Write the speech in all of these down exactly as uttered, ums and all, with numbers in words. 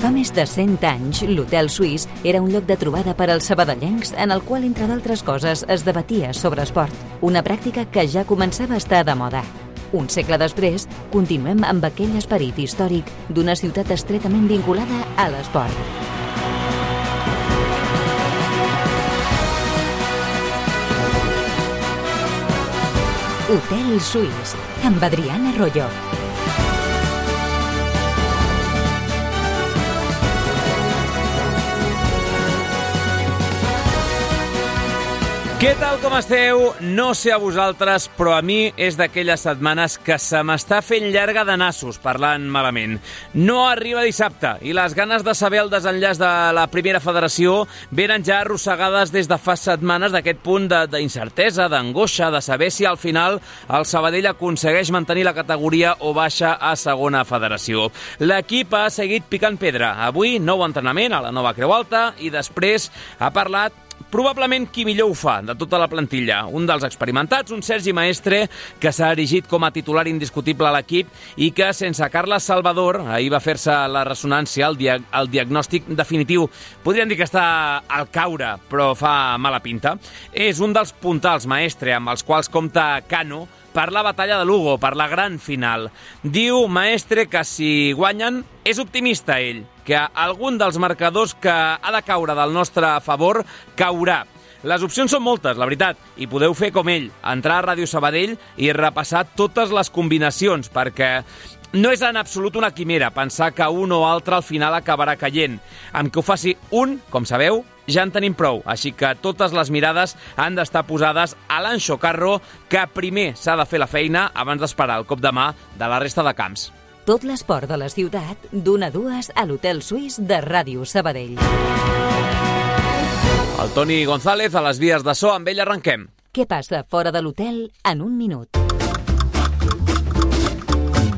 Fa més de cent anys, l'Hotel Suís era un lloc de trobada per als sabadellencs en el qual, entre d'altres coses, es debatia sobre esport, una pràctica que ja començava a estar de moda. Un segle després, continuem amb aquell esperit històric d'una ciutat estretament vinculada a l'esport. Hotel Suís, amb Adriana Royo. Què tal, com esteu? No sé a vosaltres, però a mi és d'aquelles setmanes que se m'està fent llarga de nassos, parlant malament. No arriba dissabte i les ganes de saber el desenllaç de la primera federació venen ja arrossegades des de fa setmanes d'aquest punt d'incertesa, d'angoixa, de saber si al final el Sabadell aconsegueix mantenir la categoria o baixa a segona federació. L'equip ha seguit picant pedra. Avui, nou entrenament a la nova Creu Alta i després ha parlat probablement qui millor ho fa de tota la plantilla. Un dels experimentats, un Sergi Maestre, que s'ha erigit com a titular indiscutible a l'equip i que, sense Carles Salvador, ahir va fer-se la ressonància, el, dia el diagnòstic definitiu. Podríem dir que està al caure, però fa mala pinta. És un dels puntals, Maestre, amb els quals compta Cano per la batalla de Lugo, per la gran final. Diu Maestre que si guanyen, és optimista ell, que algun dels marcadors que ha de caure del nostre favor caurà. Les opcions són moltes, la veritat, i podeu fer com ell, entrar a Ràdio Sabadell i repassar totes les combinacions, perquè no és en absolut una quimera pensar que un o altre al final acabarà caient. Amb que ho faci un, com sabeu, ja en tenim prou, així que totes les mirades han d'estar posades a l'Anxo Carro, que primer s'ha de fer la feina abans d'esperar el cop de mà de la resta de camps. Tot l'esport de la ciutat, d'una a dues a l'Hotel Suís de Ràdio Sabadell. El Toni González a les vies de so, amb ell arrenquem. Què passa fora de l'hotel en un minut?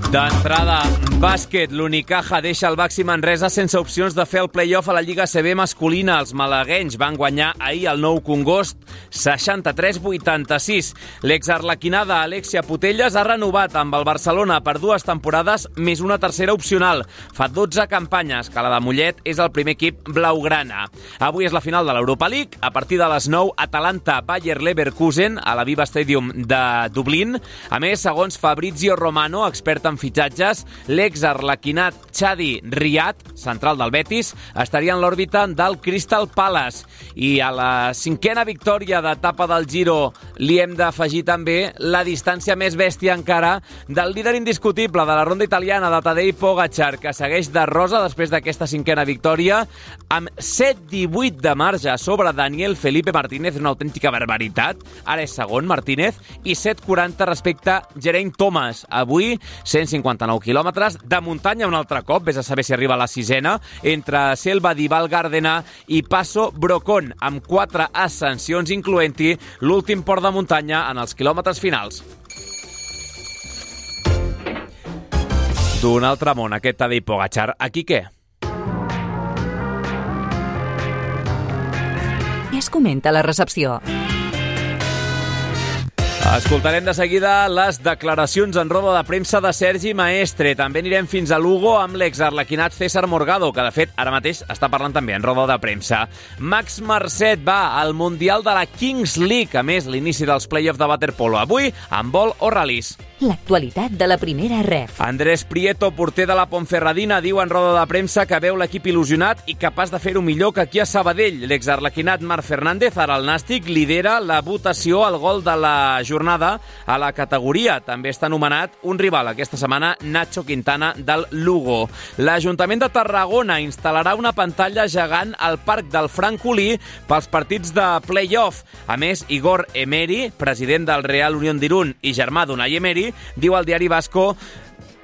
D'entrada, bàsquet. L'Unicaja deixa el Baxi Manresa sense opcions de fer el play-off a la Lliga A C B masculina. Els malaguenys van guanyar ahir el Nou Congost seixanta-tres vuitanta-sis. L'exarlequinada Alexia Putelles ha renovat amb el Barcelona per dues temporades més una tercera opcional. Fa dotze campanyes que la de Mollet és el primer equip blaugrana. Avui és la final de l'Europa League. A partir de les nou, Atalanta Bayer Leverkusen a la Viva Stadium de Dublín. A més, segons Fabrizio Romano, expert en fitxatges, l'exarlequinat Chadi Riad, central del Betis, estaria en l'òrbita del Crystal Palace. I a la cinquena victòria d'etapa del Giro li hem d'afegir també la distància més bèstia encara del líder indiscutible de la ronda italiana, de Tadej Pogačar, que segueix de rosa després d'aquesta cinquena victòria, amb set divuit de marge sobre Daniel Felipe Martínez, una autèntica barbaritat. Ara és segon, Martínez, i set quaranta respecte a Geraint Thomas. Avui, cent cinquanta-nou quilòmetres de muntanya un altre cop, vés a saber si arriba a la sisena, entre Selva di Val Gardena i Passo Brocón, amb quatre ascensions, incloent-hi l'últim port de muntanya en els quilòmetres finals. D'un altre món, aquest Tadej Pogačar. Aquí què? Què es comenta a la recepció? Escoltarem de seguida les declaracions en roda de premsa de Sergi Maestre. També anirem fins a Lugo amb l'exarlequinat César Morgado, que de fet ara mateix està parlant també en roda de premsa. Max Marcet va al Mundial de la Kings League, a més l'inici dels play-offs de waterpolo. Avui amb vol o ral·lis. L'actualitat de la primera ref. Andrés Prieto, porter de la Ponferradina, diu en roda de premsa que veu l'equip il·lusionat i capaç de fer-ho millor que aquí a Sabadell. L'exarlequinat Marc Fernández, ara el Nàstic, lidera la votació al gol de la jornada a la categoria. També està nomenat un rival aquesta setmana, Nacho Quintana, del Lugo. L'Ajuntament de Tarragona instal·larà una pantalla gegant al Parc del Francolí pels partits de play-off. A més, Igor Emery, president del Real Unión d'Irún i germà d'Unai Emery, diu al diari Vasco: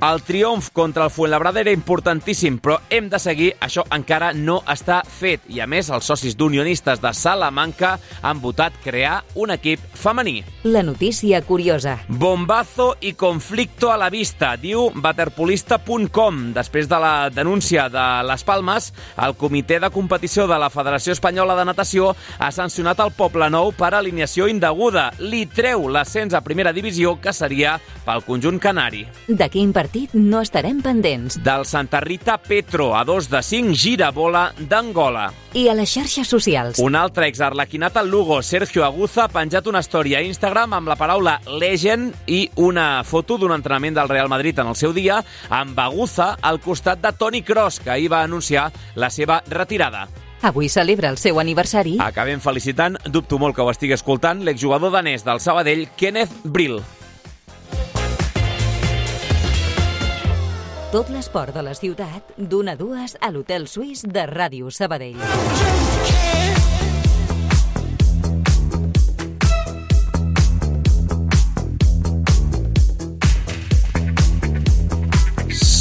el triomf contra el Fuenlabrada era importantíssim, però hem de seguir, això encara no està fet. I a més, els socis d'unionistes de Salamanca han votat crear un equip femení. La notícia curiosa. Bombazo i conflicto a la vista, diu waterpolista punt com. Després de la denúncia de Les Palmes, el comitè de competició de la Federació Espanyola de Natació ha sancionat el Poblenou per alineació indeguda. Li treu l'ascens a primera divisió, que seria pel conjunt canari. De quin partit partit no estarem pendents. Del Santa Rita Petro, a dos de cinc, girabola d'Angola. I a les xarxes socials. Un altre exarlequinat al Lugo, Sergio Aguza, ha penjat una història a Instagram amb la paraula legend i una foto d'un entrenament del Real Madrid en el seu dia, amb Aguza al costat de Toni Kroos, que ahir va anunciar la seva retirada. Avui celebra el seu aniversari. Acabem felicitant, dubto molt que ho estigui escoltant, l'exjugador danès del Sabadell, Kenneth Brill. Tot l'esport de la ciutat, d'una a dues a l'Hotel Suís de Ràdio Sabadell.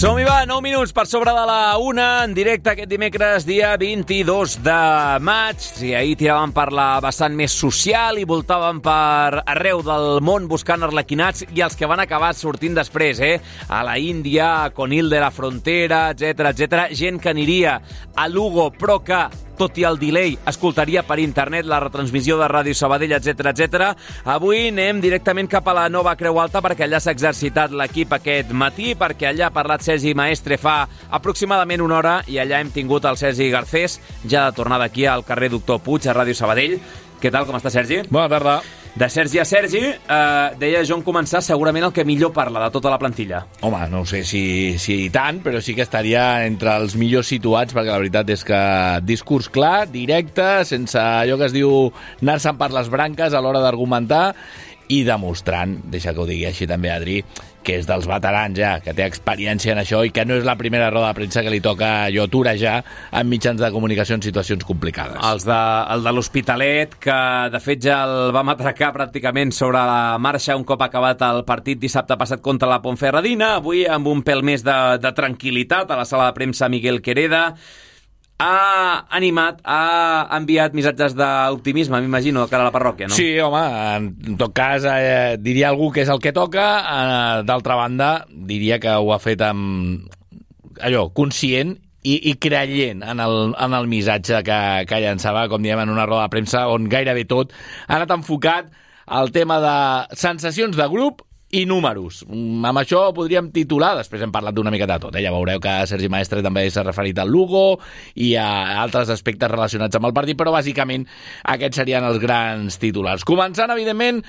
Som-hi, va, nou minuts per sobre de la una, en directe aquest dimecres, dia vint-i-dos de maig. Sí, ahir tiràvem per la vessant més social i voltàvem per arreu del món buscant arlequinats i els que van acabar sortint després, eh? A la Índia, a Conil de la Frontera, etcètera, etcètera. Gent que aniria a Lugo, però que, tot i el delay, escoltaria per internet la retransmissió de Ràdio Sabadell, etcètera, etcètera. Avui anem directament cap a la nova Creu Alta perquè allà s'ha exercitat l'equip aquest matí, perquè allà ha parlat Sergi Maestre fa aproximadament una hora i allà hem tingut el Sergi Garcés, ja de tornada aquí al carrer Doctor Puig, a Ràdio Sabadell. Què tal, com està, Sergi? Bona tarda. De Sergi a Sergi, eh, deia jo en començar segurament el que millor parla de tota la plantilla. Home, no sé si, si tant, però sí que estaria entre els millors situats, perquè la veritat és que discurs clar, directe, sense allò que es diu anar-se'n per les branques a l'hora d'argumentar i demostrant, deixa que ho digui així també, Adri, que és dels veterans ja, que té experiència en això i que no és la primera roda de premsa que li toca jo torejar en mitjans de comunicació en situacions complicades. Els de, el de l'Hospitalet, que de fet ja el vam atracar pràcticament sobre la marxa un cop acabat el partit dissabte passat contra la Ponferradina, avui amb un pèl més de, de tranquil·litat a la sala de premsa Miguel Quereda. Ha animat, ha enviat missatges d'optimisme, m'imagino, de cara a la parròquia, no? Sí, home, en tot cas eh, diria algú que és el que toca, eh, d'altra banda diria que ho ha fet amb allò, conscient i, i creient en el, en el missatge que, que llançava, com diem, en una roda de premsa on gairebé tot ha anat enfocat al tema de sensacions de grup i números. Amb això podríem titular, després hem parlat d'una mica de tot, eh? Ja veureu que Sergi Maestre també s'ha referit al Lugo i a altres aspectes relacionats amb el partit, però bàsicament aquests serien els grans titulars. Començant, evidentment,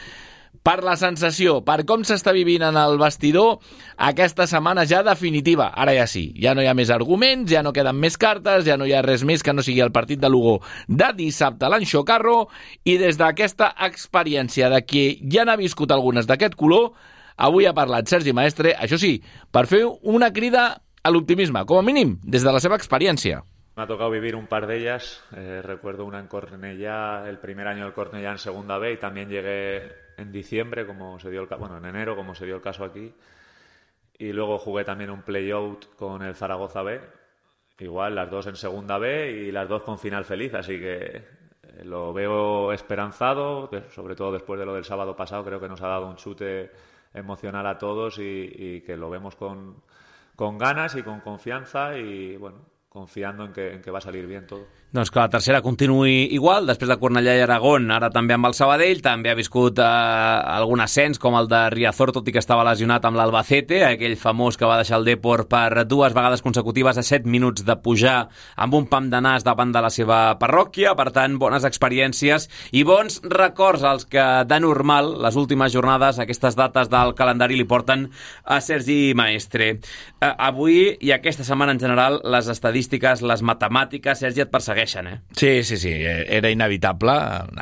per la sensació, per com s'està vivint en el vestidor aquesta setmana ja definitiva. Ara ja sí, ja no hi ha més arguments, ja no queden més cartes, ja no hi ha res més que no sigui el partit de Lugo de dissabte a l'Anxocarro, i des d'aquesta experiència de qui ja n'ha viscut algunes d'aquest color, avui ha parlat Sergi Maestre, això sí, per fer una crida a l'optimisme, com a mínim, des de la seva experiència. Me ha tocado vivir un par de ellas. Eh, recuerdo una en Cornellá, el primer año del Cornellá en segunda B, y también llegué en diciembre, como se dio el caso, bueno, en enero, como se dio el caso aquí. Y luego jugué también un play-out con el Zaragoza B, igual las dos en segunda B y las dos con final feliz, así que eh, lo veo esperanzado, sobre todo después de lo del sábado pasado. Creo que nos ha dado un chute emocional a todos y, y que lo vemos con, con ganas y con confianza y bueno, confiando en que, en que va a salir bien todo. Doncs que la tercera continuï igual, després de Cornellà i Aragón, ara també amb el Sabadell, també ha viscut eh, algun ascens com el de Riazor, tot i que estava lesionat amb l'Albacete, aquell famós que va deixar el Depor per dues vegades consecutives a set minuts de pujar amb un pam de nas davant de la seva parròquia. Per tant, bones experiències i bons records als que de normal les últimes jornades, aquestes dates del calendari li porten a Sergi Maestre. Eh, avui i aquesta setmana en general, les estadístiques, les matemàtiques, Sergi, et persegueixen. Eh? Sí, sí, sí, era inevitable.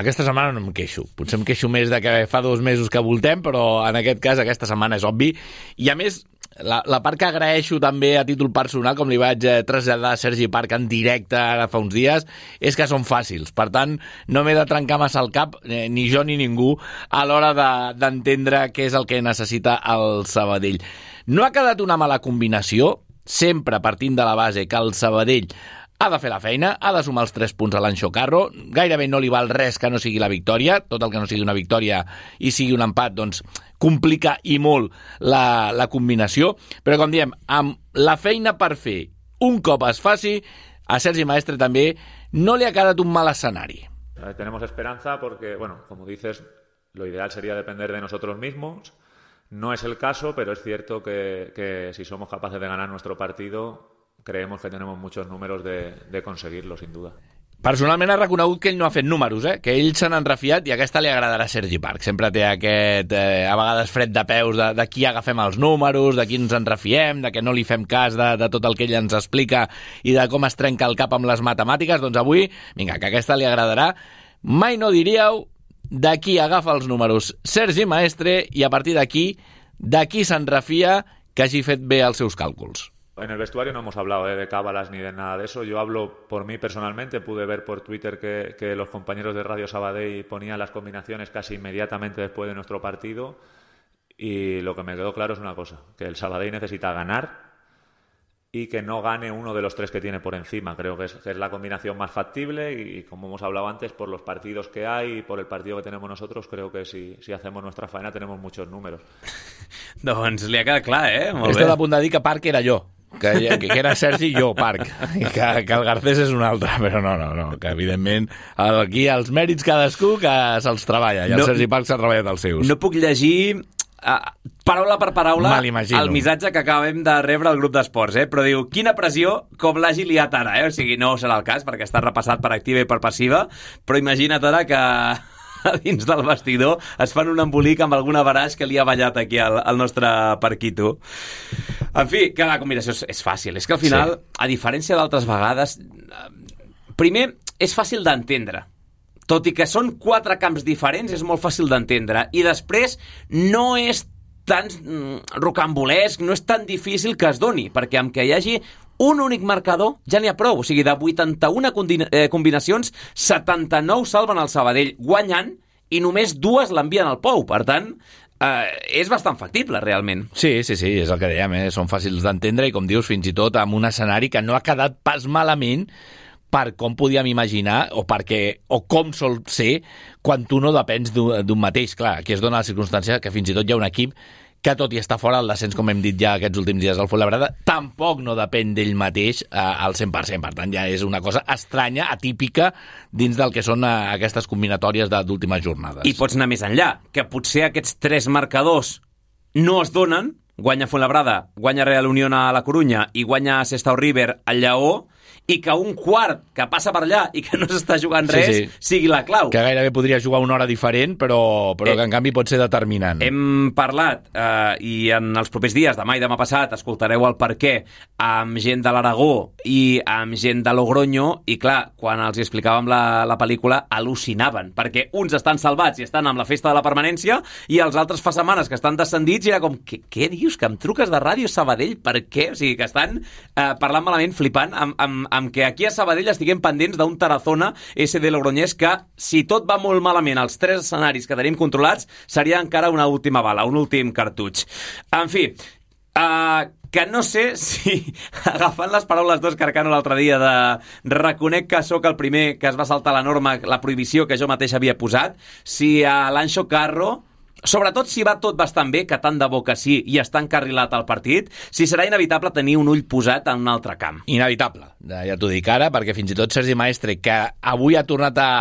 Aquesta setmana no em queixo. Potser em queixo més de que fa dos mesos que voltem, però en aquest cas aquesta setmana és obvi. I a més, la, la part que agraeixo també a títol personal, com li vaig traslladar a Sergi Parc en directe ara fa uns dies, és que són fàcils. Per tant, no m'he de trencar massa el cap, eh, ni jo ni ningú, a l'hora de, d'entendre què és el que necessita el Sabadell. No ha quedat una mala combinació, sempre partint de la base que el Sabadell ha de fer la feina, ha de sumar els tres punts a l'Anxocarro, gairebé no li val res que no sigui la victòria, tot el que no sigui una victòria i sigui un empat, doncs complica i molt la, la combinació, però com diem, amb la feina per fer un cop es faci, a Sergi Maestre també no li ha quedat un mal escenari. Tenemos esperanza porque, bueno, como dices, lo ideal sería depender de nosotros mismos, No es el caso, pero es cierto que, que si somos capaces de ganar nuestro partido, creemos que tenemos muchos números de, de conseguirlo, sin duda. Personalment ha reconegut que ell no ha fet números, eh? Que ell se n'han refiat i aquesta li agradarà a Sergi Parc. Sempre té aquest, eh, a vegades, fred de peus de, de qui agafem els números, de qui ens en refiem, de que no li fem cas de, de tot el que ell ens explica i de com es trenca el cap amb les matemàtiques. Doncs avui, vinga, que aquesta li agradarà. Mai no diríeu de qui agafa els números Sergi Maestre i a partir d'aquí, de qui se'n refia que hagi fet bé els seus càlculs. En el vestuario no hemos hablado eh, de cábalas ni de nada de eso. Yo hablo por mí personalmente. Pude ver por Twitter que, que los compañeros de Radio Sabadell ponían las combinaciones casi inmediatamente después de nuestro partido y lo que me quedó claro es una cosa, que el Sabadell necesita ganar y que no gane uno de los tres que tiene por encima. Creo que es, que es la combinación más factible y, y como hemos hablado antes, por los partidos que hay y por el partido que tenemos nosotros, creo que si, si hacemos nuestra faena tenemos muchos números. Doncs li ha quedat clar, eh? Molt Estic bé. a punt de dir que Parc era jo. Que, que era Sergi i jo, Parc, i que, que el Garcés és un altre, però no, no, no, que evidentment aquí els mèrits cadascú que se'ls treballa, i el No- Sergi Parc s'ha treballat els seus. No puc llegir uh, paraula per paraula Me l'imagino. el missatge que acabem de rebre al grup d'esports, eh? Però diu, quina pressió com l'hagi liat ara, eh? O sigui, no serà el cas, perquè està repassat per activa i per passiva, però imagina't ara que a dins del vestidor es fan un embolic amb alguna baraix que li ha ballat aquí al, al nostre Parquito. En fi, que la combinació és, és fàcil. És que al final, sí. A diferència d'altres vegades, primer, és fàcil d'entendre. Tot i que són quatre camps diferents, és molt fàcil d'entendre. I després, no és tan rocambolesc, no és tan difícil que es doni, perquè amb que hi hagi un únic marcador ja n'hi ha prou. O sigui, de vuitanta-una combinacions, setanta-nou salven el Sabadell guanyant i només dues l'envien al Pou. Per tant, eh, és bastant factible, realment. Sí, sí, sí, és el que dèiem, eh? Són fàcils d'entendre i, com dius, fins i tot amb un escenari que no ha quedat pas malament per com podíem imaginar o perquè o com sol ser quan tu no depens d'un mateix. Clar, aquí es dona la circumstància que fins i tot hi ha un equip que tot i estar fora del descens, com hem dit ja aquests últims dies al Fuenlabrada, tampoc no depèn d'ell mateix eh, al cent per cent. Per tant, ja és una cosa estranya, atípica, dins del que són eh, aquestes combinatòries d'últimes jornades. I pots anar més enllà, que potser aquests tres marcadors no es donen, guanya Fuenlabrada, guanya Real Unión a la Corunya i guanya Sestao River al Lleó, i que un quart que passa per allà i que no s'està jugant res sí, sí. sigui la clau. Que gairebé podria jugar una hora diferent, però, però eh, que en canvi pot ser determinant. Hem parlat, eh, i en els propers dies, demà i demà passat, escoltareu el perquè amb gent de l'Aragó i amb gent de Logroño, i clar, quan els explicàvem la, la pel·lícula, al·lucinaven, perquè uns estan salvats i estan amb la festa de la permanència i els altres fa setmanes que estan descendits i era com, què, què dius, que em truques de Ràdio Sabadell? Per què? O sigui, que estan eh, parlant malament, flipant, amb, amb, amb que aquí a Sabadell estiguem pendents d'un Tarazona S D Logroñés que, si tot va molt malament als tres escenaris que tenim controlats, seria encara una última bala, un últim cartutx. En fi, uh, que no sé si, agafant les paraules d'Òscar Cano l'altre dia de reconec que sóc el primer que es va saltar la norma, la prohibició que jo mateix havia posat, si a l'Anxo Carro, sobretot si va tot bastant bé, que tant de bo que sí, i està encarrilat al partit, si serà inevitable tenir un ull posat en un altre camp. Inevitable, ja t'ho dic ara, perquè fins i tot Sergi Maestre, que avui ha tornat a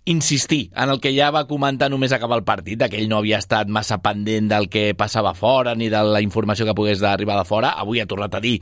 insistir en el que ja va comentar només acabar el partit, que ell no havia estat massa pendent del que passava fora ni de la informació que pogués arribar de fora, avui ha tornat a dir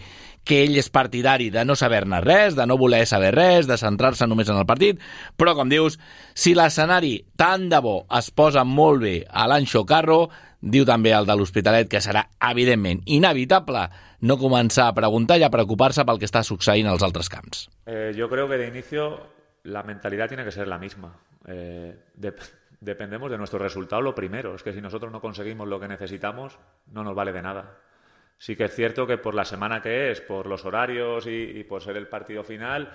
que ell és partidari de no saber-ne res, de no voler saber res, de centrar-se només en el partit, però, com dius, si l'escenari tant de bo es posa molt bé a l'Anxo Carro, diu també el de l'Hospitalet que serà, evidentment, inevitable no començar a preguntar i a preocupar-se pel que està succeint als altres camps. Eh, yo creo que de inicio la mentalidad tiene que ser la misma. Eh, de, dependemos de nuestro resultado lo primero. Es que si nosotros no conseguimos lo que necesitamos, no nos vale de nada. Sí que es cierto que por la semana que es, por los horarios y, y por ser el partido final,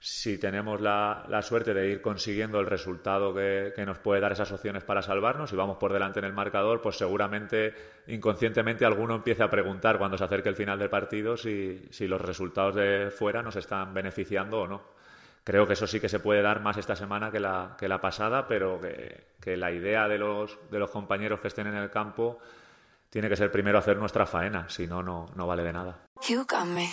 si tenemos la, la suerte de ir consiguiendo el resultado que, que nos puede dar esas opciones para salvarnos y vamos por delante en el marcador, pues seguramente inconscientemente alguno empiece a preguntar cuando se acerque el final del partido si, si los resultados de fuera nos están beneficiando o no. Creo que eso sí que se puede dar más esta semana que la, que la pasada, pero que, que la idea de los, de los compañeros que estén en el campo tiene que ser primero hacer nuestra faena, si no, no, no vale de nada. You got me.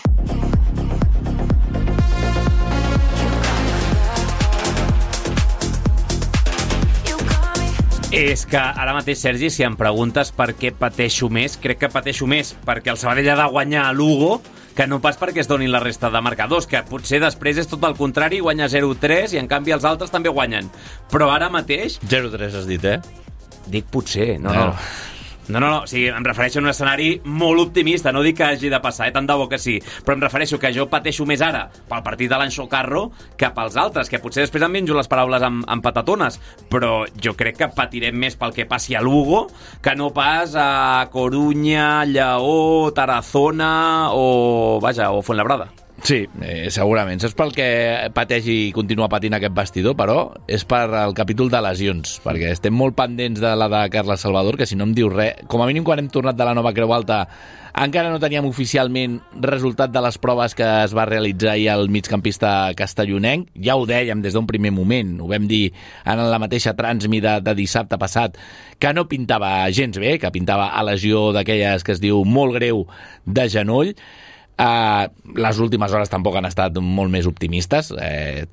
És que ara mateix, Sergi, si em preguntes per què pateixo més, crec que pateixo més perquè el Sabadell ha de guanyar a Lugo que no pas perquè es donin la resta de marcadors, que potser després és tot el contrari, guanya zero tres i en canvi els altres també guanyen. Però ara mateix... zero tres has dit, eh? Dic potser, no, no. No, no, no, o sigui, em refereixo a un escenari molt optimista, no dic que hagi de passar, eh? Tant de bo que sí, però em refereixo que jo pateixo més ara pel partit de l'Anxo Carro que pels altres, que potser després em menjo les paraules amb, amb patatones, però jo crec que patirem més pel que passi a Lugo que no pas a Corunya, Lleó, Tarazona o, vaja, o Fuenlabrada. Sí, eh, segurament. Saps pel que pateix i continua patint aquest vestidor, però és per el capítol de lesions, perquè estem molt pendents de la de Carles Salvador, que si no em diu res, com a mínim quan hem tornat de la nova Creu Alta encara no teníem oficialment resultat de les proves que es va realitzar ahir al migcampista castellonenc. Ja ho dèiem des d'un primer moment, ho vam dir en la mateixa transmi de, de dissabte passat, que no pintava gens bé, que pintava a lesió d'aquelles que es diu molt greu de genoll. Uh, les últimes hores tampoc han estat molt més optimistes, eh,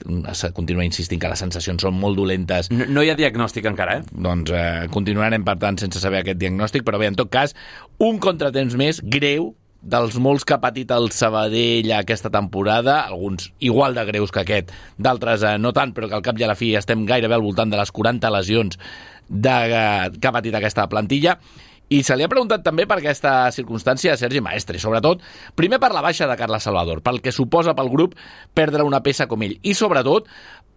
continua insistint que les sensacions són molt dolentes. No, no hi ha diagnòstic encara, eh? Doncs eh, continuarem, per tant, sense saber aquest diagnòstic, però bé, en tot cas, un contratemps més greu dels molts que ha patit el Sabadell aquesta temporada, alguns igual de greus que aquest, d'altres eh, no tant, però que al cap i a la fi estem gairebé al voltant de les quaranta lesions de, eh, que ha patit aquesta plantilla. I se li ha preguntat també per aquesta circumstància a Sergi Maestre, sobretot, primer per la baixa de Carles Salvador, pel que suposa pel grup perdre una peça com ell, i sobretot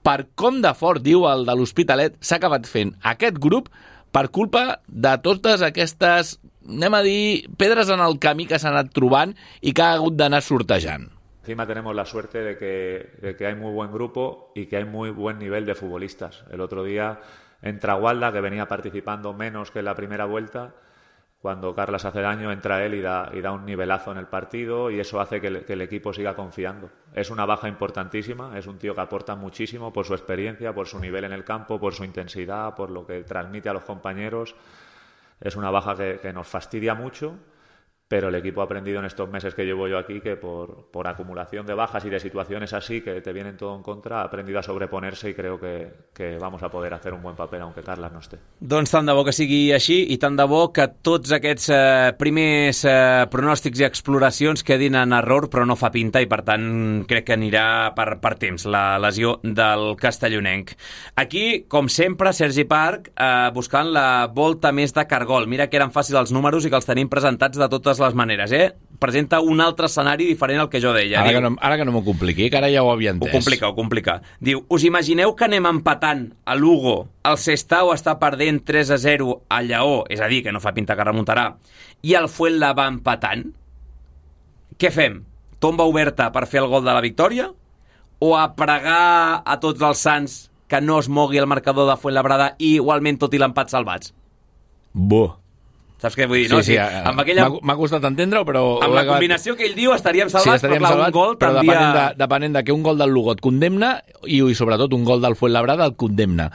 per com de fort, diu el de l'Hospitalet, s'ha acabat fent aquest grup per culpa de totes aquestes, anem a dir, pedres en el camí que s'ha anat trobant i que ha hagut d'anar sortejant. Encima tenemos la suerte de que, de que hay muy buen grupo y que hay muy buen nivel de futbolistas. El otro día entra Gualda, que venía participando menos que en la primera vuelta. Cuando Carles hace daño, entra él y da, y da un nivelazo en el partido y eso hace que, le, que el equipo siga confiando. Es una baja importantísima, es un tío que aporta muchísimo por su experiencia, por su nivel en el campo, por su intensidad, por lo que transmite a los compañeros. Es una baja que, que nos fastidia mucho, pero el equipo ha aprendido en estos meses que llevo yo aquí que por, por acumulación de bajas y de situaciones así que te vienen todo en contra, ha aprendido a sobreponerse y creo que, que vamos a poder hacer un buen papel aunque Carles no esté. Doncs tant de bo que sigui així i tant de bo que tots aquests eh, primers eh, pronòstics i exploracions quedin en error, però no fa pinta i per tant crec que anirà per, per temps la lesió del castellonenc. Aquí, com sempre, Sergi Parc eh, buscant la volta més de Cargol. Mira que eren fàcils els números i que els tenim presentats de totes les maneres, eh? Presenta un altre escenari diferent al que jo deia. Ara Diu, que no, ara que no m'ho compliqui, que ara ja ho havia entès. Ho complica, ho complica. Diu, us imagineu que anem empatant a Lugo, el Sestao està perdent tres a zero a Lleó, és a dir, que no fa pinta que remuntarà, i el Fuenla va empatant? Què fem? Tomba oberta per fer el gol de la victòria? O a pregar a tots els sants que no es mogui el marcador de Fuenlabrada i igualment tot i l'empat salvats? Bo. Saps què vull dir, sí, no? Sí, sí, amb aquella... m'ha costat entendre-ho, però... Amb la combinació que ell diu estaríem salvats, sí, estaríem però clar, salvats, un gol però t'envia... depenent de, depenent de que un gol del Lugo et condemna i, i sobretot un gol del Fuenlabrada el condemna.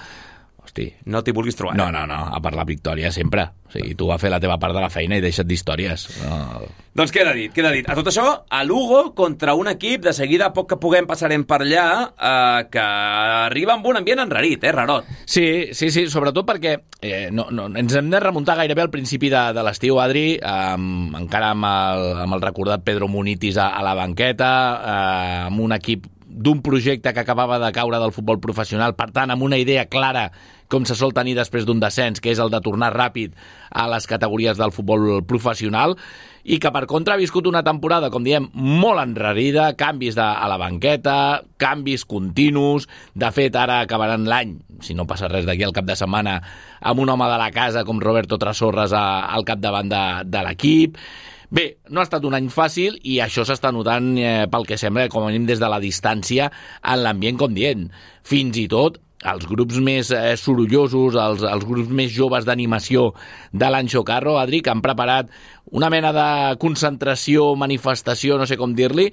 Hosti. No t'hi vulguis trobar. No, no, no, a part la victòria sempre. O sigui, tu vas fer la teva part de la feina i deixa't d'històries. No. Doncs queda dit, queda dit. A tot això, a Lugo, contra un equip, de seguida, a poc que puguem passarem per allà, eh, que arriba amb un ambient enrarit, eh, rarot. Sí, sí, sí, sobretot perquè eh, no, no, ens hem de remuntar gairebé al principi de, de l'estiu, Adri, eh, encara amb el, amb el recordat Pedro Munitis a, a la banqueta, eh, amb un equip d'un projecte que acabava de caure del futbol professional, per tant, amb una idea clara com se sol tenir després d'un descens, que és el de tornar ràpid a les categories del futbol professional, i que per contra ha viscut una temporada, com diem, molt enrarida, canvis de, a la banqueta, canvis continus. De fet, ara acabaran l'any, si no passa res d'aquí al cap de setmana, amb un home de la casa com Roberto Trasorras a, al capdavant de, de l'equip. Bé, no ha estat un any fàcil i això s'està notant, eh, pel que sembla, com a mínim des de la distància, en l'ambient, com dient. Fins i tot els grups més eh, sorollosos, els, els grups més joves d'animació de l'Anxo Carro, Adri, que han preparat una mena de concentració, manifestació, no sé com dir-li,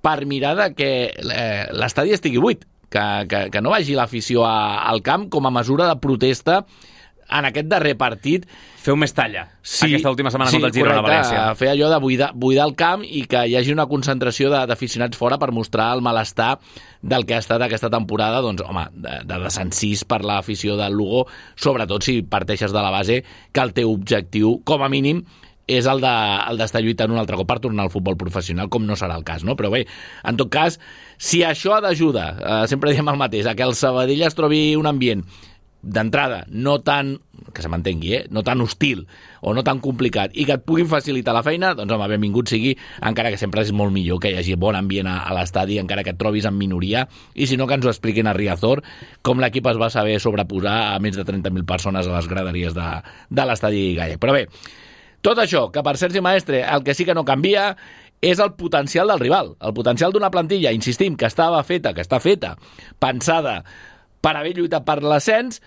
per mirar de que eh, l'estadi estigui buit, que, que, que no vagi l'afició a, al camp com a mesura de protesta en aquest darrer partit feu més talla sí, aquesta última setmana sí, contra el Girona a València. Fer allò de buidar, buidar el camp i que hi hagi una concentració d'aficionats fora per mostrar el malestar del que ha estat aquesta temporada, doncs, home, de, de desencís per l'afició del Lugo, sobretot si parteixes de la base que el teu objectiu, com a mínim, és el d'estar de, lluitant un altre cop per tornar al futbol professional, com no serà el cas, no? Però bé, en tot cas, si això ha d'ajudar, eh, sempre diem el mateix, a que el Sabadell es trobi un ambient d'entrada no tan, que se m'entengui, eh? no tan hostil o no tan complicat i que et puguin facilitar la feina, doncs home, benvingut sigui, encara que sempre és molt millor que hi hagi bon ambient a, a l'estadi, encara que et trobis en minoria, i si no que ens ho expliquin a Riazor, com l'equip es va saber sobreposar a més de trenta mil persones a les graderies de, de l'estadi gallec. Però bé, tot això, que per Sergi Maestre el que sí que no canvia és el potencial del rival, el potencial d'una plantilla, insistim, que estava feta, que està feta, pensada per haver lluitat per l'ascens,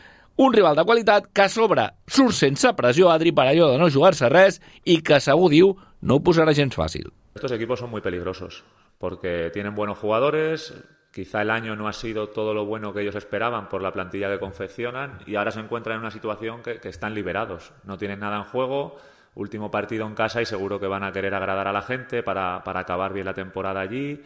un rival de qualitat que a sobre surt sense pressió, Adri, per allò de no jugar-se res i que segur diu no ho posarà gens fàcil. Estos equipos son muy peligrosos porque tienen buenos jugadores, quizá el año no ha sido todo lo bueno que ellos esperaban por la plantilla que confeccionan y ahora se encuentran en una situación que, que están liberados, no tienen nada en juego, último partido en casa y seguro que van a querer agradar a la gente para, para acabar bien la temporada allí.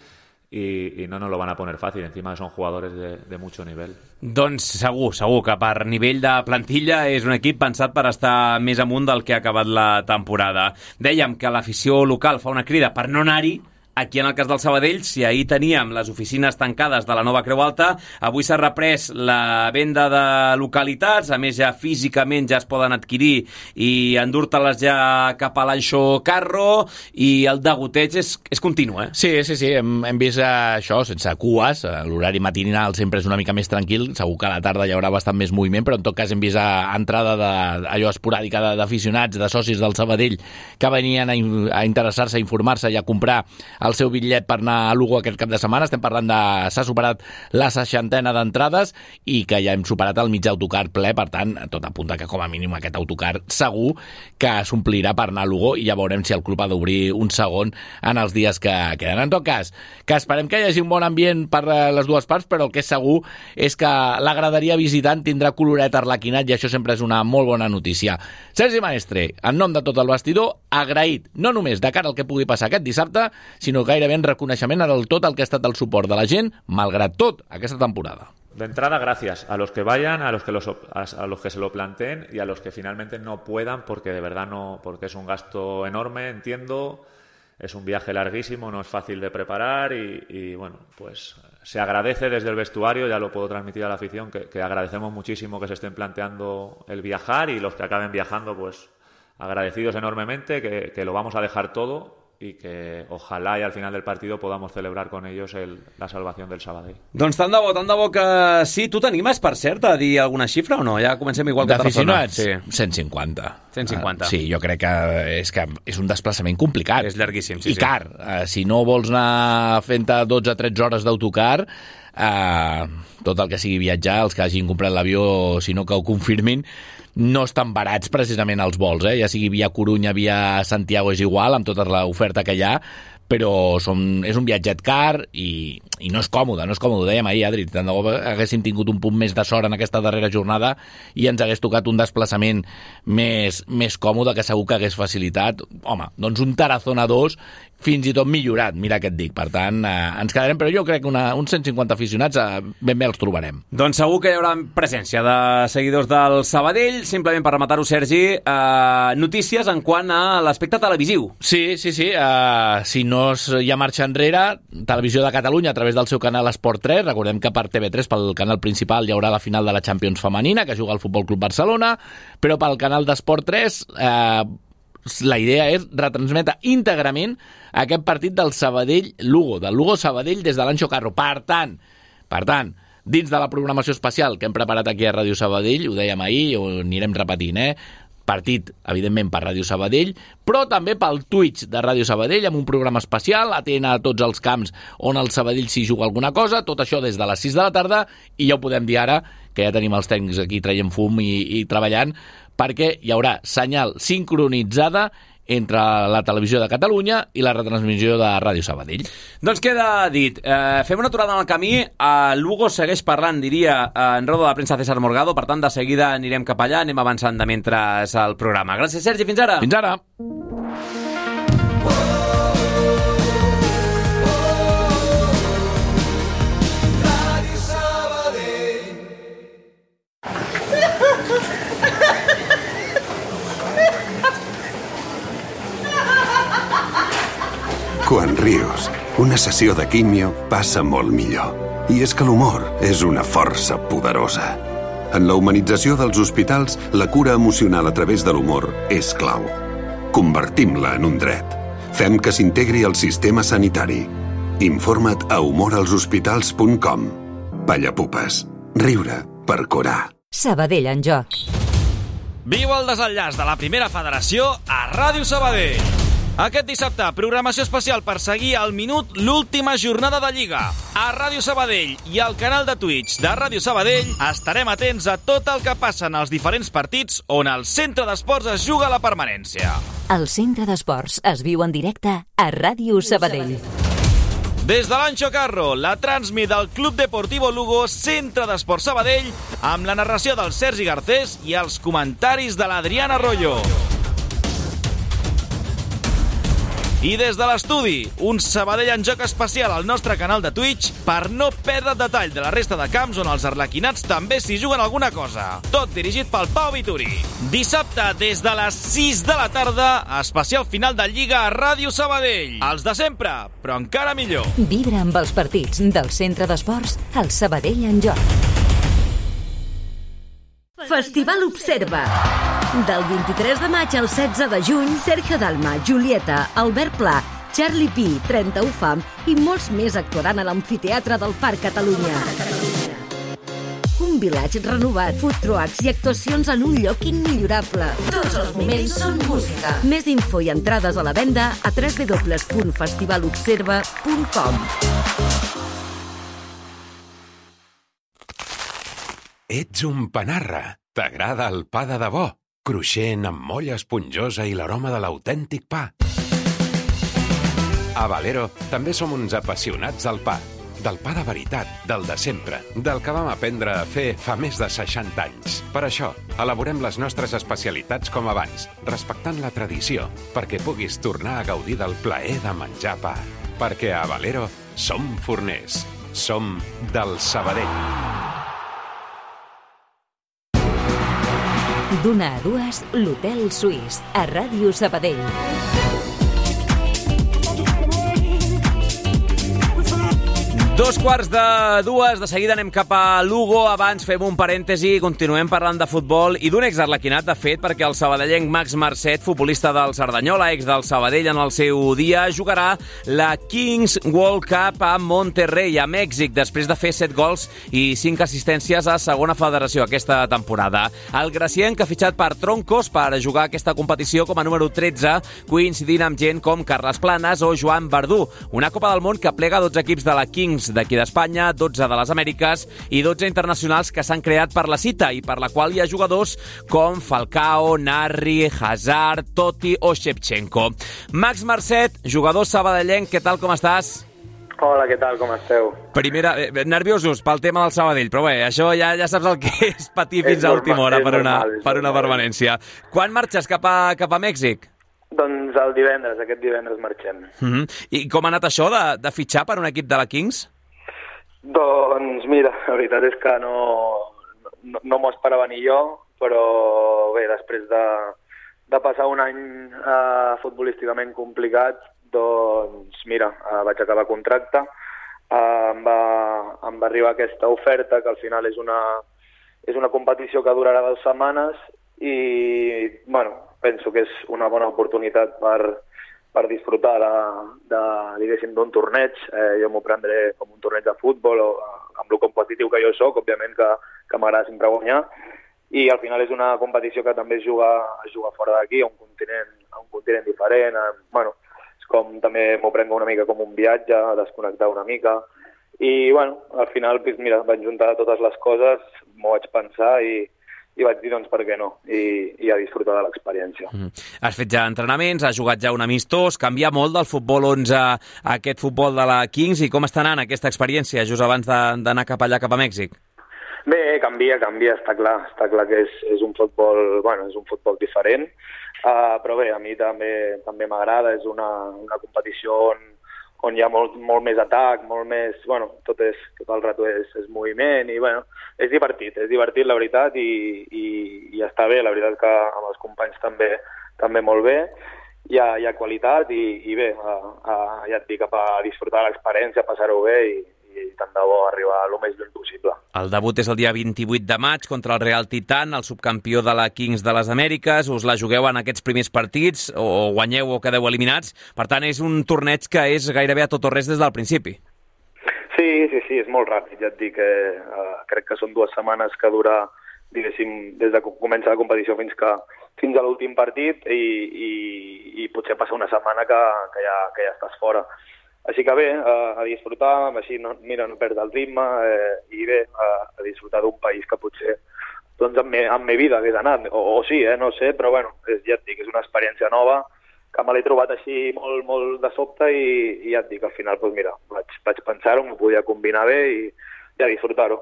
I, i no nos lo van a poner fàcil, encima son jugadores de, de mucho nivel. Doncs segur, segur que per nivell de plantilla és un equip pensat per estar més amunt del que ha acabat la temporada. Dèiem que l'afició local fa una crida per no anar-hi. Aquí, en el cas del Sabadell, si ahir teníem les oficines tancades de la nova Creu Alta, avui s'ha reprès la venda de localitats, a més ja físicament ja es poden adquirir i endur-te-les ja cap a l'Anxo Carro, i el degoteig és, és continu, eh? Sí, sí, sí, hem, hem vist això sense cues, l'horari matinal sempre és una mica més tranquil, segur que a la tarda hi haurà bastant més moviment, però en tot cas hem vist a, entrada de, allò esporàdica d'aficionats, de socis del Sabadell, que venien a, a interessar-se, a informar-se i a comprar el seu bitllet per anar a Lugo aquest cap de setmana. Estem parlant de... s'ha superat la seixantena d'entrades i que ja hem superat el mig autocar ple, per tant, tot apunta que com a mínim aquest autocar segur que s'omplirà per anar a Lugo i ja veurem si el club ha d'obrir un segon en els dies que queden. En tot cas, que esperem que hi hagi un bon ambient per les dues parts, però el que és segur és que la graderia visitant tindrà coloret arlequinat i això sempre és una molt bona notícia. Sergi Maestre, en nom de tot el vestidor, agraït no només de cara al que pugui passar aquest dissabte, sinó gairebé en reconeixement del tot el que ha estat el suport de la gent, malgrat tot, aquesta temporada. De entrada, gracias a los que vayan, a los que, los, a los que se lo planteen y a los que finalmente no puedan, porque de verdad no, porque es un gasto enorme, entiendo, es un viaje larguísimo, no es fácil de preparar y, y bueno, pues se agradece desde el vestuario, ya lo puedo transmitir a la afición, que, que agradecemos muchísimo que se estén planteando el viajar y los que acaben viajando, pues agradecidos enormemente, que, que lo vamos a dejar todo y que ojalá y al final del partido podamos celebrar con ellos el, la salvación del Sabadell. Doncs tant de bo, tant de bo que sí. Tu t'animes, per cert, a dir alguna xifra o no? Ja comencem igual que d'aficionats? Sí. cent cinquanta. cent cinquanta. Uh, sí, jo crec que és, que és un desplaçament complicat. És llarguíssim, sí. I car. Sí. Uh, si no vols anar fent-te dotze a tretze hores d'autocar, uh, tot el que sigui viatjar, els que hagin comprat l'avió, si no que ho confirmin, no estan barats precisament els vols, eh? Ja sigui via Corunya, via Santiago, és igual, amb tota l'oferta que hi ha, però som, és un viatget car i, i no és còmode, no és còmode. Ho dèiem ahir, Adri, tant de bo haguéssim tingut un punt més de sort en aquesta darrera jornada i ens hagués tocat un desplaçament més, més còmode, que segur que hagués facilitat, home, doncs un Tarazona dos fins i tot millorat, mira què et dic. Per tant, eh, ens quedarem, però jo crec que una, uns cent cinquanta aficionats eh, ben bé els trobarem. Doncs segur que hi haurà presència de seguidors del Sabadell. Simplement per rematar-ho, Sergi, eh, notícies en quant a l'aspecte televisiu. Sí, sí, sí. Eh, si no hi ha marxa enrere, Televisió de Catalunya a través del seu canal Esport tres, recordem que per T V tres, pel canal principal, hi haurà la final de la Champions femenina, que juga el Futbol Club Barcelona, però pel canal d'Esport tres eh, la idea és retransmetre íntegrament aquest partit del Sabadell-Lugo, del Lugo-Sabadell des de l'Anxo Carro. Per tant, per tant, dins de la programació especial que hem preparat aquí a Ràdio Sabadell, ho dèiem ahir, ho anirem repetint, eh? Partit, evidentment, per Ràdio Sabadell, però també pel Twitch de Ràdio Sabadell, amb un programa especial, atent a tots els camps on el Sabadell s'hi juga alguna cosa, tot això des de les sis de la tarda, i ja ho podem dir ara, que ja tenim els tècnics aquí traient fum i, i treballant, perquè hi haurà senyal sincronitzada entre la televisió de Catalunya i la retransmissió de Ràdio Sabadell. Doncs queda dit. Eh, fem una aturada en el camí. Eh, Lugo segueix parlant, diria, en roda de premsa César Morgado, per tant, de seguida anirem cap allà, anem avançant de mentre el programa. Gràcies, Sergi, fins ara. Fins ara. Quan rius, una sessió de químio passa molt millor. I és que l'humor és una força poderosa. En la humanització dels hospitals, la cura emocional a través de l'humor és clau. Convertim-la en un dret. Fem que s'integri al sistema sanitari. Informa't a humor als hospitals punt com. Pallapupes. Riure per curar. Sabadell en joc. Viu el desenllaç de la primera federació a Ràdio Sabadell. Aquest dissabte, programació especial per seguir al minut l'última jornada de Lliga. A Ràdio Sabadell i al canal de Twitch de Ràdio Sabadell estarem atents a tot el que passa en els diferents partits on el Centre d'Esports es juga la permanència. El Centre d'Esports es viu en directe a Ràdio Sabadell. Des de l'Anxo Carro, la transmi del Club Deportivo Lugo, Centre d'Esports Sabadell, amb la narració del Sergi Garcés i els comentaris de l'Adrián Arroyo. I des de l'estudi, un Sabadell en joc especial al nostre canal de Twitch per no perdre detall de la resta de camps on els arlequinats també s'hi juguen alguna cosa. Tot dirigit pel Pau Vituri. Dissabte, des de les sis de la tarda, especial final de Lliga a Ràdio Sabadell. Els de sempre, però encara millor. Vibra amb els partits del Centre d'Esports al Sabadell en joc. Festival Observa. Del vint-i-tres de maig al setze de juny, Sergio Dalma, Julieta, Albert Pla, Charlie P, trenta-u Fam i molts més actuaran a l'Amfiteatre del Parc Catalunya. Un vilatge renovat, food trucks i actuacions en un lloc immillorable. Tots els moments són música. Més info i entrades a la venda a w w w punt festival observa punt com. Ets un panarra. T'agrada el pa de debò? Cruixent, amb molla esponjosa i l'aroma de l'autèntic pa. A Valero també som uns apassionats del pa. Del pa de veritat, del de sempre, del que vam aprendre a fer fa més de seixanta anys. Per això, elaborem les nostres especialitats com abans, respectant la tradició, perquè puguis tornar a gaudir del plaer de menjar pa. Perquè a Valero som forners. Som del Sabadell. D'una a dues, l'Hotel Suís, a Ràdio Sabadell. Dos quarts de dues, de seguida anem cap a Lugo. Abans fem un parèntesi i continuem parlant de futbol i d'un exarlequinat, de fet, perquè el sabadellenc Max Marcet, futbolista del Cerdanyola, ex del Sabadell en el seu dia, jugarà la Kings World Cup a Monterrey, a Mèxic, després de fer set gols i cinc assistències a segona federació aquesta temporada. El gracienc ha fitxat per Troncos per jugar aquesta competició com a número tretze, coincidint amb gent com Carles Planes o Joan Verdú. Una Copa del Món que plega dotze equips de la Kings d'aquí d'Espanya, dotze de les Amèriques i dotze internacionals que s'han creat per la cita i per la qual hi ha jugadors com Falcao, Narri, Hazard, Totti o Shevchenko. Max Marcet, jugador sabadellenc, què tal, com estàs? Hola, què tal, com esteu? Primera, eh, nerviosos pel tema del Sabadell, però bé, això ja ja saps el que és patir fins a última hora per una, per una permanència. Quan marxes cap a, cap a Mèxic? Doncs el divendres, aquest divendres marxem. Uh-huh. I com ha anat això de, de fitxar per un equip de la Kings? Doncs mira, la veritat és que no, no, no m'ho esperava ni jo, però bé, després de, de passar un any eh, futbolísticament complicat, doncs mira, eh, vaig acabar contracte, eh, em, va, em va arribar aquesta oferta, que al final és una, és una competició que durarà dues setmanes i, bueno, penso que és una bona oportunitat per, per disfrutar de, de, diguéssim, d'un torneig. Eh, jo m'ho prendré com un torneig de futbol, o, amb el competitiu que jo sóc, òbviament que, que m'agrada sempre guanyar, i al final és una competició que també es juga, es juga fora d'aquí, a un continent, a un continent diferent. Eh, bueno, és com també m'ho prenc una mica com un viatge, a desconnectar una mica, i bueno, al final, pues, mira, vaig juntar totes les coses, m'ho vaig pensar i, i vaig dir, doncs, per què no? I, i a disfrutar de l'experiència. Mm. Has fet ja entrenaments, has jugat ja un amistós, canvia molt del futbol onze a aquest futbol de la Kings, i com està anant aquesta experiència just abans d'anar cap allà, cap a Mèxic? Bé, canvia, canvia, està clar. Està clar que és, és un futbol, bueno, és un futbol diferent, uh, però bé, a mi també també m'agrada, és una, una competició on, on hi ha molt, molt més atac, molt més, bueno, tot, és, tot el rato és, és moviment, i bueno, és divertit, és divertit la veritat, i, i, i està bé, la veritat que amb els companys també també molt bé, hi ha, hi ha qualitat, i, i bé, a, a, ja et dic, a disfrutar l'experiència, a passar-ho bé, i, i tant de bo arribar el més lluny possible. El debut és el dia vint-i-vuit de maig contra el Real Titan, el subcampió de la Kings de les Amèriques. Us la jugueu en aquests primers partits, o guanyeu o quedeu eliminats. Per tant, és un torneig que és gairebé a tot o res des del principi. Sí, sí, sí, és molt ràpid. Ja et dic que uh, crec que són dues setmanes que dura, diguéssim, des de que comença la competició fins que fins a l'últim partit, i, i, i potser passa una setmana que, que, ja, que ja estàs fora. Així que bé, a, a disfrutar, així no, mira, no perdre el ritme, eh, i bé, a, a disfrutar d'un país que potser doncs amb, me, amb me vida hagués anat, o, o sí, eh, no sé, però bueno, és, ja et dic, és una experiència nova, que me l'he trobat així molt, molt de sobte, i, i ja et dic, al final, doncs mira, vaig, vaig pensar-ho, m'ho podia combinar bé, i, i a disfrutar-ho.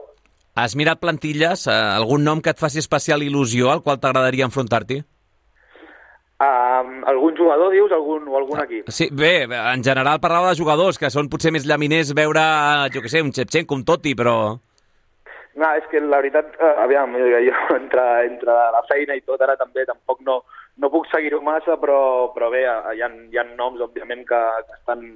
Has mirat plantilles? Eh, algun nom que et faci especial il·lusió al qual t'agradaria enfrontar-t'hi? Um, algun jugador, dius, algun, o algun equip? Sí, bé, en general parlava de jugadors, que són potser més llaminers veure, jo què sé, un Shevchenko, un Totti, però... No, és que la veritat, eh, aviam, jo entre, entre la feina i tot, ara també tampoc no, no puc seguir-ho massa, però, però bé, hi ha, hi ha noms, òbviament, que, que estan...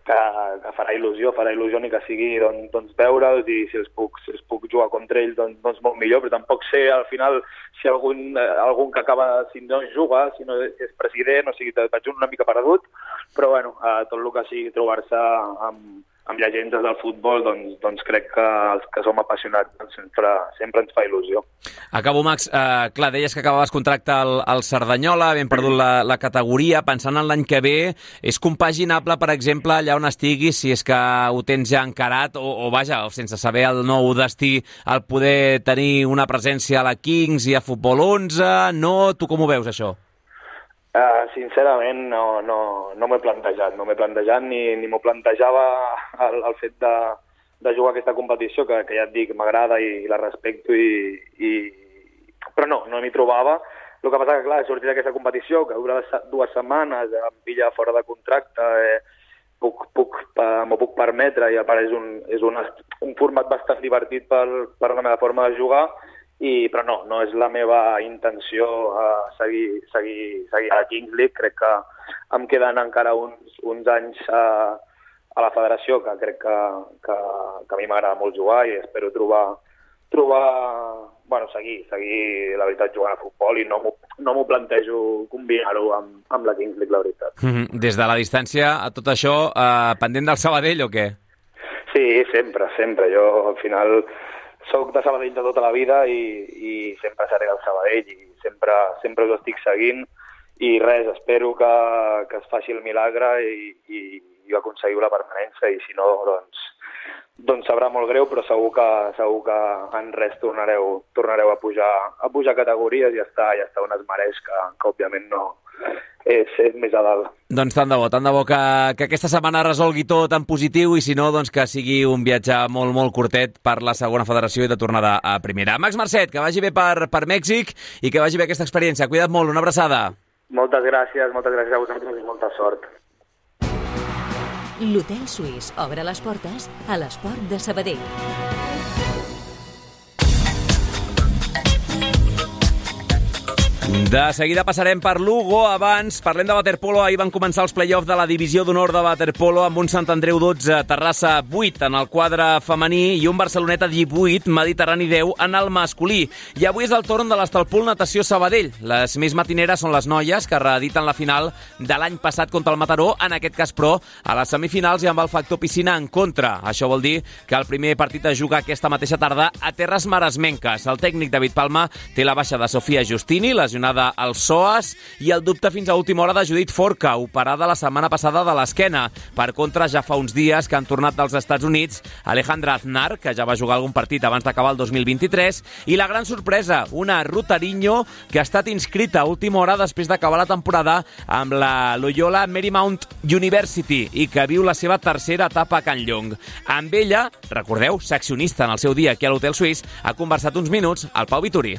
Que, que farà il·lusió, farà il·lusió ni que sigui doncs, doncs veure'ls, i si els, puc, si els puc jugar contra ells, doncs, doncs molt millor, però tampoc sé al final si algun, algun que acaba, si no juga, si no és president, o sigui, vaig una mica perdut, però bueno, eh, tot el que sigui trobar-se amb, amb llegendes del futbol, doncs, doncs crec que els que som apassionats doncs sempre, sempre ens fa il·lusió. Acabo, Max. Uh, clar, deies que acabaves contracte al, al Cerdanyola, havent perdut la, la categoria, pensant en l'any que ve, és compaginable, per exemple, allà on estiguis, si és que ho tens ja encarat, o, o vaja, sense saber el nou destí, el poder tenir una presència a la Kings i a Futbol onze, no? Tu com ho veus, això? Uh, sincerament, no, no, no m'he plantejat, no m'he plantejat ni, ni m'ho plantejava el, el fet de, de jugar aquesta competició, que, que ja et dic, m'agrada i la respecto, i, i... però no, no m'hi trobava. El que passa que, clar, he sortit d'aquesta competició, que dura dues setmanes, em pilla fora de contracte, eh, puc, puc, eh, m'ho puc permetre, i a part és, un, és un, un format bastant divertit per, per la meva forma de jugar, I, però no, no és la meva intenció uh, seguir, seguir, seguir a la Kings League. Crec que em queden encara uns, uns anys uh, a la federació, que crec que, que, que a mi m'agrada molt jugar, i espero trobar, trobar bueno, seguir, seguir la veritat jugant a futbol, i no m'ho no m'ho plantejo combinar-ho amb, amb la Kings League, la veritat. Mm-hmm. Des de la distància, a tot això, uh, pendent del Sabadell o què? Sí, sempre, sempre. Jo, al final, soc de Sabadell de tota la vida, i, i sempre seré del Sabadell, i sempre, sempre us estic seguint, i res, espero que, que es faci el milagre i, i, i aconseguiu la permanència, i si no, doncs, doncs sabrà molt greu, però segur que, segur que en res tornareu, tornareu a pujar a pujar categories, i ja està, ja està on es mereix, que, que òbviament no és, és més a dalt. Doncs tant de bo, tant de bo que, que aquesta setmana resolgui tot en positiu, i si no, doncs que sigui un viatge molt, molt curtet per la segona federació i de tornada a primera. Max Marcet, que vagi bé per, per Mèxic i que vagi bé aquesta experiència. Cuida't molt, una abraçada. Moltes gràcies, moltes gràcies a vosaltres i molta sort. L'Hotel Suís obre les portes a l'esport de Sabadell. De seguida passarem per Lugo. Abans parlem de waterpolo. Ahir van començar els play-offs de la divisió d'honor de waterpolo amb un Sant Andreu dotze, Terrassa vuit en el quadre femení i un Barceloneta divuit, Mediterrani deu en el masculí. I avui és el torn de l'Estalpul Natació Sabadell. Les més matineres són les noies, que reediten la final de l'any passat contra el Mataró, en aquest cas, però, a les semifinals i amb el factor piscina en contra. Això vol dir que el primer partit es juga aquesta mateixa tarda a Terres Maresmenques. El tècnic David Palma té la baixa de Sofia Justini, les lesionada al psoas, i el dubte fins a última hora de Judit Forca, operada la setmana passada de l'esquena. Per contra, ja fa uns dies que han tornat dels Estats Units Alejandra Aznar, que ja va jugar algun partit abans d'acabar el dos mil vint-i-tres, i la gran sorpresa, una Rutariño, que ha estat inscrita a última hora després d'acabar la temporada amb la Loyola Marymount University i que viu la seva tercera etapa a Can Llong. Amb ella, recordeu, seccionista en el seu dia aquí a l'Hotel Suís, ha conversat uns minuts al Pau Vituri.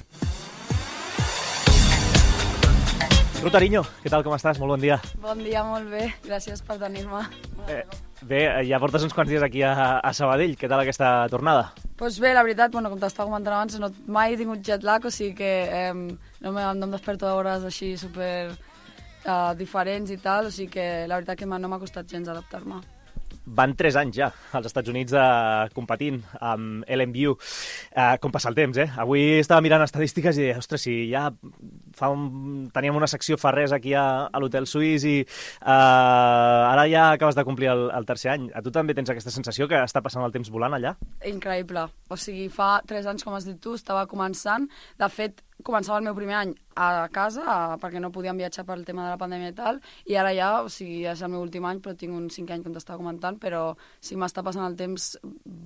Rutariño, què tal, com estàs? Molt bon dia. Bon dia, molt bé. Gràcies per tenir-me. Eh, bé, ja portes uns quants dies aquí a, a Sabadell. Què tal aquesta tornada? Pues bé, la veritat, bueno, com t'estava comentant abans, no, mai he tingut jet lag, o sigui que eh, no, me, no em desperto d'hores així super uh, diferents i tal, o sigui que la veritat que no m'ha costat gens adaptar-me. Van tres anys ja als Estats Units eh, competint amb L M U. Eh, com passa el temps, eh? Avui estava mirant estadístiques i deia, ostres, si ja fa un... teníem una secció fa res aquí a, a l'Hotel Suís i eh, ara ja acabes de complir el, el tercer any. A tu també tens aquesta sensació que està passant el temps volant allà? Increïble. O sigui, fa tres anys, com has dit tu, estava començant. De fet, començava el meu primer any a casa, a, perquè no podíem viatjar pel tema de la pandèmia i tal, i ara ja, o sigui, és el meu últim any, però tinc un cinquè any, com t'estava comentant, però sí m'està passant el temps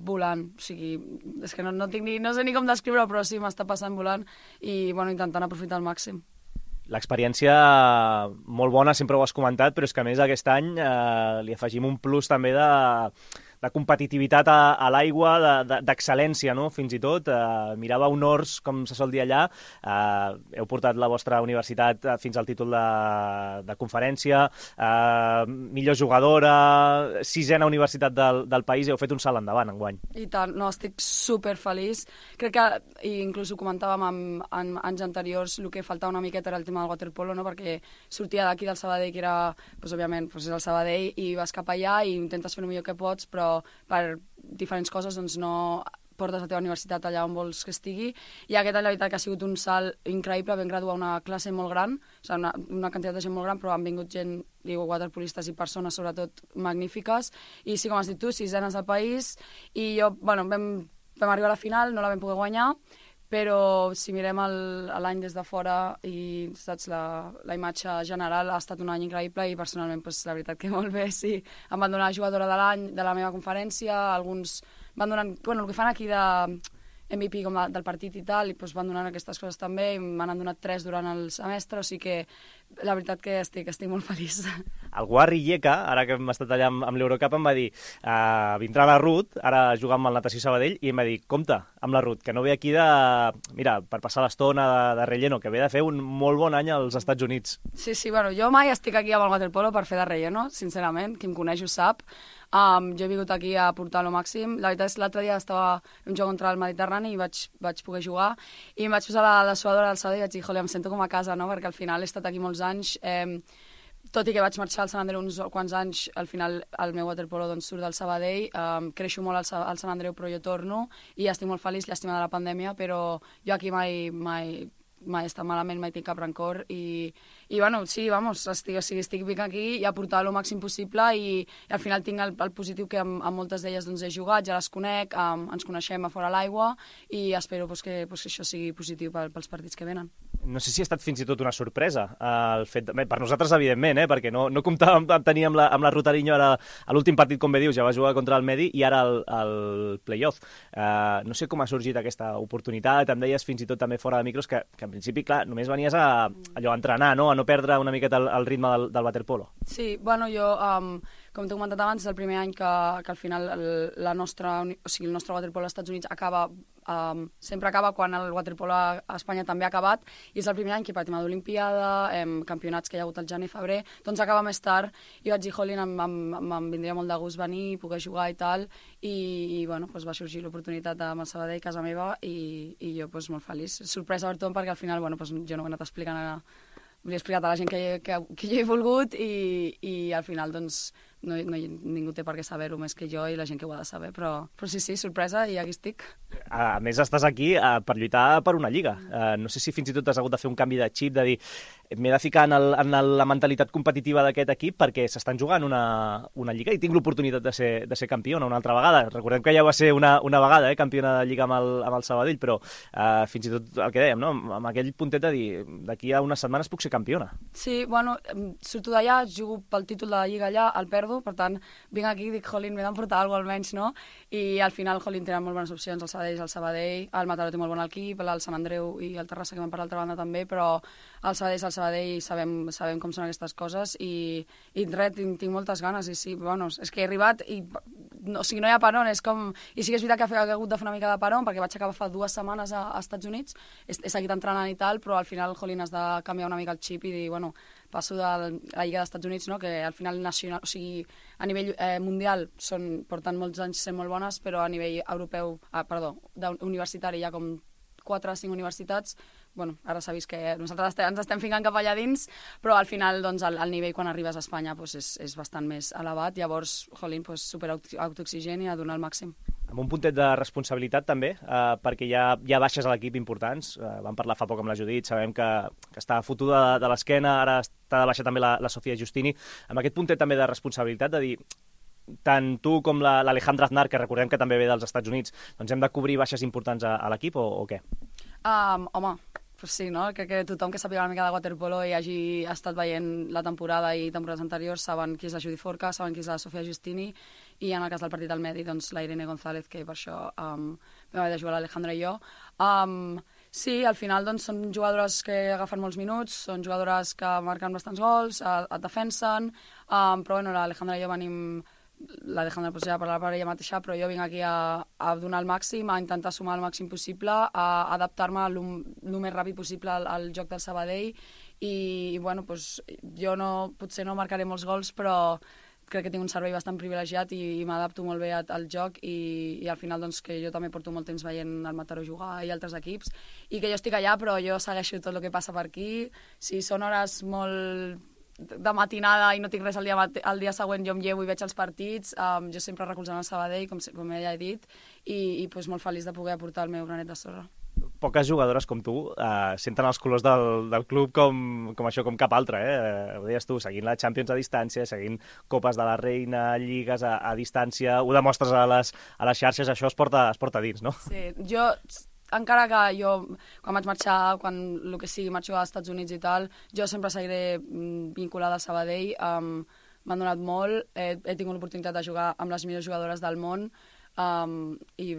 volant. O sigui, és que no, no, tinc ni, no sé ni com descriure-ho, però sí m'està passant volant i, bueno, intentant aprofitar al màxim. L'experiència molt bona, sempre ho has comentat, però és que a més aquest any eh, li afegim un plus també de... de competitivitat a, a l'aigua, d'excel·lència, no? Fins i tot. Eh, mirava honors, com se sol dir allà. Eh, heu portat la vostra universitat fins al títol de, de conferència, eh, millor jugadora, sisena universitat del, del país, heu fet un salt endavant enguany. I tant, no, estic superfeliç. Crec que, i inclús ho comentàvem en, en anys anteriors, el que faltava una miqueta era el tema del waterpolo, no? Perquè sortia d'aquí del Sabadell, que era, pues, òbviament, pues, és el Sabadell, i vas cap allà i intentes fer el millor que pots, però per diferents coses doncs no portes la teva universitat allà on vols que estigui, i aquest any la veritat que ha sigut un salt increïble. Vam graduar una classe molt gran, o sigui, una, una quantitat de gent molt gran, però han vingut gent, diu, waterpolistes i persones sobretot magnífiques, i sí, com has dit tu, sisenes al país, i jo, bueno, vam, vam arribar a la final, no la vam poder guanyar, però si mirem l'any des de fora i saps, la, la imatge general ha estat un any increïble i personalment pues, la veritat que molt bé, sí. Em van donar jugadora de l'any de la meva conferència, alguns van donant, bueno, el que fan aquí de M V P com de, del partit i tal, i pues, van donant aquestes coses també, i m'han donat tres durant el semestre, o sigui que la veritat que estic, estic molt feliç. El Guarri Lleca, ara que hem estat allà amb, amb l'Eurocup, em va dir uh, vindrà la Ruth, ara juga amb el Natació Sabadell, i em va dir, compte amb la Ruth, que no ve aquí de... Mira, per passar l'estona de, de relleno, que ve de fer un molt bon any als Estats Units. Sí, sí, bueno, jo mai estic aquí amb el waterpolo per fer de relleno, sincerament, qui em coneix ho sap. Um, jo he vingut aquí a portar lo màxim. La veritat és que l'altre dia estava un joc contra el Mediterrani i vaig, vaig poder jugar, i em vaig posar la, la suadora del Sabadell i vaig dir, jole, em sento com a casa, no? Perquè al final he estat aquí molts anys, eh, tot i que vaig marxar al Sant Andreu uns quants anys, al final el meu waterpolo doncs, surt del Sabadell, um, creixo molt al, al Sant Andreu, però jo torno i estic molt feliç, llàstima de la pandèmia, però jo aquí mai, mai, mai he estat malament, mai tinc cap rancor, i, i bueno, sí, vamos, estic, o sigui, estic vinc aquí i a portar el màxim possible, i, i al final tinc el, el positiu que amb, amb moltes d'elles doncs, he jugat, ja les conec, um, ens coneixem a fora l'aigua, i espero pues, que, pues, que això sigui positiu pel, pels partits que venen. No sé si ha estat fins i tot una sorpresa el fet de... Bé, per nosaltres, evidentment, eh? Perquè no, no comptàvem tenir amb la, amb la Rutariño ara a l'últim partit, com bé dius, ja va jugar contra el Medi i ara el, el play-off. Uh, no sé com ha sorgit aquesta oportunitat, em deies fins i tot també fora de micros que, que en principi, clar, només venies a, allò, a entrenar, no? A no perdre una miqueta el, el ritme del, del waterpolo. Sí, bueno, jo... Um... Com t'he comentat abans, és el primer any que, que al final el, la nostra, o sigui, el nostre waterpolo als Estats Units acaba, um, sempre acaba quan el waterpolo a Espanya també ha acabat, i és el primer any que per tema d'Olimpiada, um, campionats que hi ha hagut al gener i febrer, doncs acaba més tard, i vaig dir, jolín, em, em, em vindria molt de gust venir, poder jugar i tal, i, i bueno, doncs va sorgir l'oportunitat amb el Sabadell, casa meva, i, i jo doncs, molt feliç. Sorpresa per tothom, perquè al final bueno, doncs, jo no ho he anat explicant a... Li he explicat a la gent que, que, que jo he volgut, i, i al final doncs, no, no, ningú té per què saber-ho més que jo i la gent que ho ha de saber, però, però sí, sí, sorpresa, i aquí estic. A més, estàs aquí uh, per lluitar per una lliga. Uh, no sé si fins i tot has hagut de fer un canvi de xip, de dir, m'he de ficar en, el, en el, la mentalitat competitiva d'aquest equip perquè s'estan jugant una, una lliga i tinc l'oportunitat de ser, de ser campiona una altra vegada. Recordem que ja va ser una, una vegada eh, campiona de lliga amb el, amb el Sabadell, però uh, fins i tot el que dèiem, no? Amb aquell puntet de dir, d'aquí a unes setmanes puc ser campiona. Sí, bueno, surto d'allà, jugo pel títol de la lliga allà, el perdo, per tant, vinc aquí i dic, jolín, m'he d'emportar alguna cosa almenys, no? I al final, jolín, tenen molt bones opcions, el Sabadell, el Sabadell, el Mataró té molt bon equip, el Sant Andreu i el Terrassa, que van per l'altra banda també, però el Sabadell, el Sabadell, sabem, sabem com són aquestes coses i, i res, tinc, tinc moltes ganes i sí, bueno, és que he arribat i no, o sigui, no hi ha peron, és com... I sí que és veritat que he hagut de fer una mica de peron perquè vaig acabar fa dues setmanes a, a Estats Units, he, he seguit entrenant i tal, però al final, jolín, has de canviar una mica el xip i dir, bueno, passo de la Lliga dels Estats Units, no? Que al final nacional, o sigui, a nivell eh, mundial són, porten molts anys sent molt bones, però a nivell europeu, ah, perdó, universitari hi ha com quatre o cinc universitats. Bueno, ara s'ha vist que nosaltres ens estem ficant cap allà dins, però al final doncs, el, el nivell quan arribes a Espanya doncs, és, és bastant més elevat, llavors, jolín, doncs, super autoexigent i a donar el màxim. Amb un puntet de responsabilitat també, eh, perquè hi ha, hi ha baixes a l'equip importants, eh, vam parlar fa poc amb la Judit, sabem que, que està fotuda de, de l'esquena, ara està de baixa també la, la Sofia Giustini, amb aquest puntet també de responsabilitat de dir, tant tu com l'Alejandra Aznar, que recordem que també ve dels Estats Units, doncs hem de cobrir baixes importants a, a l'equip o, o què? Um, home, pues sí, no? Crec que tothom que sàpiga una mica de waterpolo i hagi estat veient la temporada i temporades anteriors saben qui és la Judy Forca, saben qui és la Sofia Giustini i en el cas del partit al Medi, doncs la Irene González, que per això um, vam haver de jugar l'Alejandra i jo. Um, sí, al final doncs, són jugadores que agafen molts minuts, són jugadores que marquen bastants gols, et defensen, um, però bueno, l'Alejandra i jo venim... l'Alejandra pues, ja parlarà per ella mateixa, però jo vinc aquí a, a donar el màxim, a intentar sumar el màxim possible, a adaptar-me el més ràpid possible al, al joc del Sabadell i, i bueno, pues, jo no, potser no marcaré molts gols, però crec que tinc un servei bastant privilegiat i, i m'adapto molt bé al joc i, i al final doncs, que jo també porto molt temps veient el Mataró jugar i altres equips i que jo estic allà però jo segueixo tot el que passa per aquí. Si són hores molt de matinada i no tinc res el dia, el dia següent jo em llevo i veig els partits, um, jo sempre recolzant el Sabadell, com, com ja he dit, i, i pues, molt feliç de poder aportar el meu granet de sorra. Poques jugadores com tu uh, senten els colors del, del club com, com això, com cap altre, eh? Ho deies tu, seguint la Champions a distància, seguint Copes de la Reina, Lligues a, a distància, ho demostres a les, a les xarxes, això es porta, es porta dins, no? Sí, jo... encara que jo, quan vaig marxar, quan el que sigui, marxo als Estats Units i tal, jo sempre seguiré vinculada al Sabadell, um, m'han donat molt, he, he tingut l'oportunitat de jugar amb les millors jugadores del món, um, i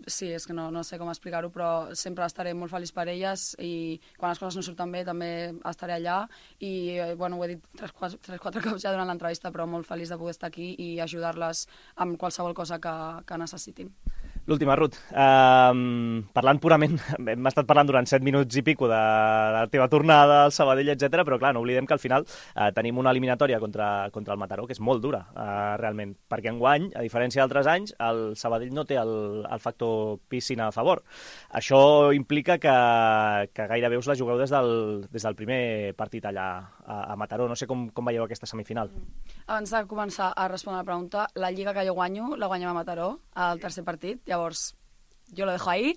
sí, és que no, no sé com explicar-ho, però sempre estaré molt feliç per elles i quan les coses no surten bé també estaré allà i, bueno, ho he dit tres, quatre, tres, quatre cops ja durant l'entrevista, però molt feliç de poder estar aquí i ajudar-les amb qualsevol cosa que, que necessitin. L'última, Ruth. Uh, parlant purament, hem estat parlant durant set minuts i pico de, de la teva tornada al Sabadell, etcètera, però clar, no oblidem que al final uh, tenim una eliminatòria contra, contra el Mataró, que és molt dura, uh, realment, perquè enguany, a diferència d'altres anys, el Sabadell no té el, el factor piscina a favor. Això implica que, que gairebé us la jugueu des del, des del primer partit allà a, a Mataró. No sé com, com veieu aquesta semifinal. Abans de començar a respondre la pregunta, la lliga que jo guanyo la guanyem a Mataró, al tercer partit, llavors jo lo dejo ahí.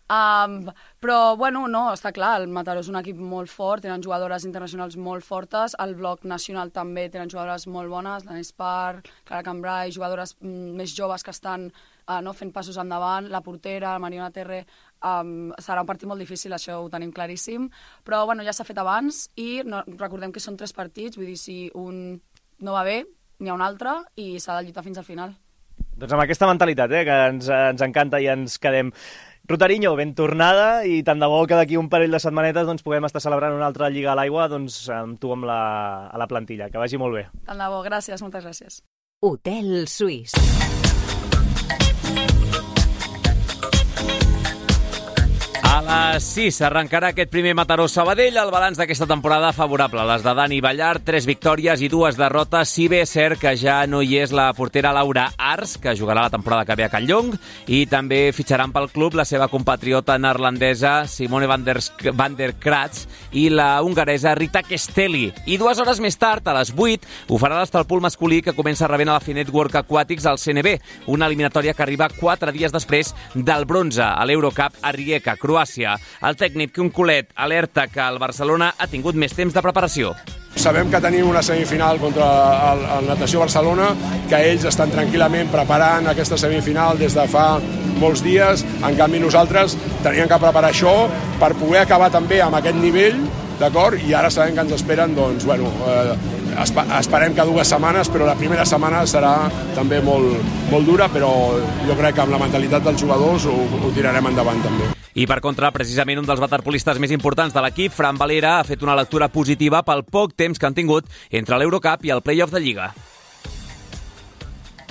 Um, però, bueno, no, està clar, el Mataró és un equip molt fort, tenen jugadores internacionals molt fortes, el bloc nacional també tenen jugadores molt bones, l'Anés Parr, Clara Cambrai, jugadores mm, més joves que estan uh, no, fent passos endavant, la portera, la Mariona Terre, um, serà un partit molt difícil, això ho tenim claríssim, però, bueno, ja s'ha fet abans i no, recordem que són tres partits, vull dir, si un no va bé, n'hi ha un altre i s'ha de lluitar fins al final. Doncs amb aquesta mentalitat, eh, que ens, ens encanta i ens quedem. Rutariño, ben tornada i tant de bo que d'aquí un parell de setmanetes doncs, puguem estar celebrant una altra Lliga a l'Aigua doncs, amb tu amb la, a la plantilla. Que vagi molt bé. Tant de bo, gràcies, moltes gràcies. Hotel Suís. A les sis arrencarà aquest primer Mataró-Sabadell. El balanç d'aquesta temporada favorable. Les de Dani Ballart, tres victòries i dues derrotes. Si bé és cert que ja no hi és la portera Laura Ars, que jugarà la temporada que ve a Catlllong, i també fitxaran pel club la seva compatriota neerlandesa Simone van der, van der Kratz i la hongaresa Rita Kestelli. I dues hores més tard, a les vuit, ho farà l'Estalpul masculí, que comença rebent a la Finet World Aquatics al C N B, una eliminatòria que arriba quatre dies després del bronze a l'Eurocup a Rijeka, Croàcia. El tècnic Quim Colet alerta que el Barcelona ha tingut més temps de preparació. Sabem que tenim una semifinal contra el, el Natació Barcelona, que ells estan tranquil·lament preparant aquesta semifinal des de fa molts dies. En canvi, nosaltres teníem que preparar això per poder acabar també amb aquest nivell, d'acord? I ara sabem que ens esperen, doncs, bueno, eh, esperem que dues setmanes, però la primera setmana serà també molt, molt dura, però jo crec que amb la mentalitat dels jugadors ho, ho tirarem endavant també. I per contra, precisament un dels waterpolistes més importants de l'equip, Fran Valera, ha fet una lectura positiva pel poc temps que han tingut entre l'Eurocup i el play-off de Lliga.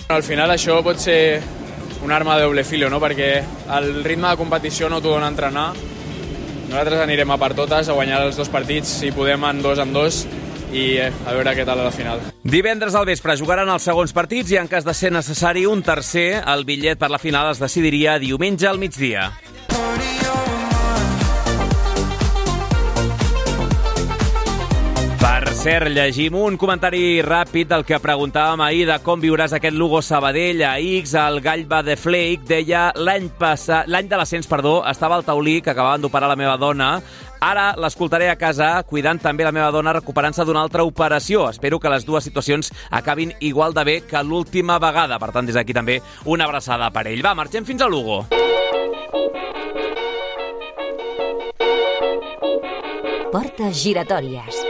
Al final això pot ser una arma de doble filo, no? Perquè el ritme de competició no t'ho dona entrenar. Nosaltres anirem a per totes, a guanyar els dos partits, si podem en dos en dos, i a veure què tal a la final. Divendres al vespre jugaran els segons partits i en cas de ser necessari un tercer, el bitllet per la final es decidiria diumenge al migdia. Per cert, llegim un comentari ràpid del que preguntàvem ahir de com viuràs aquest Lugo Sabadell. A X, el Gall va de Flake deia l'any passat, l'any de l'ascens, perdó, estava al taulí que acabaven d'operar la meva dona. Ara l'escoltaré a casa, cuidant també la meva dona, recuperant-se d'una altra operació. Espero que les dues situacions acabin igual de bé que l'última vegada. Per tant, des d'aquí també una abraçada per ell. Va, marxem fins a Lugo. Portes giratòries.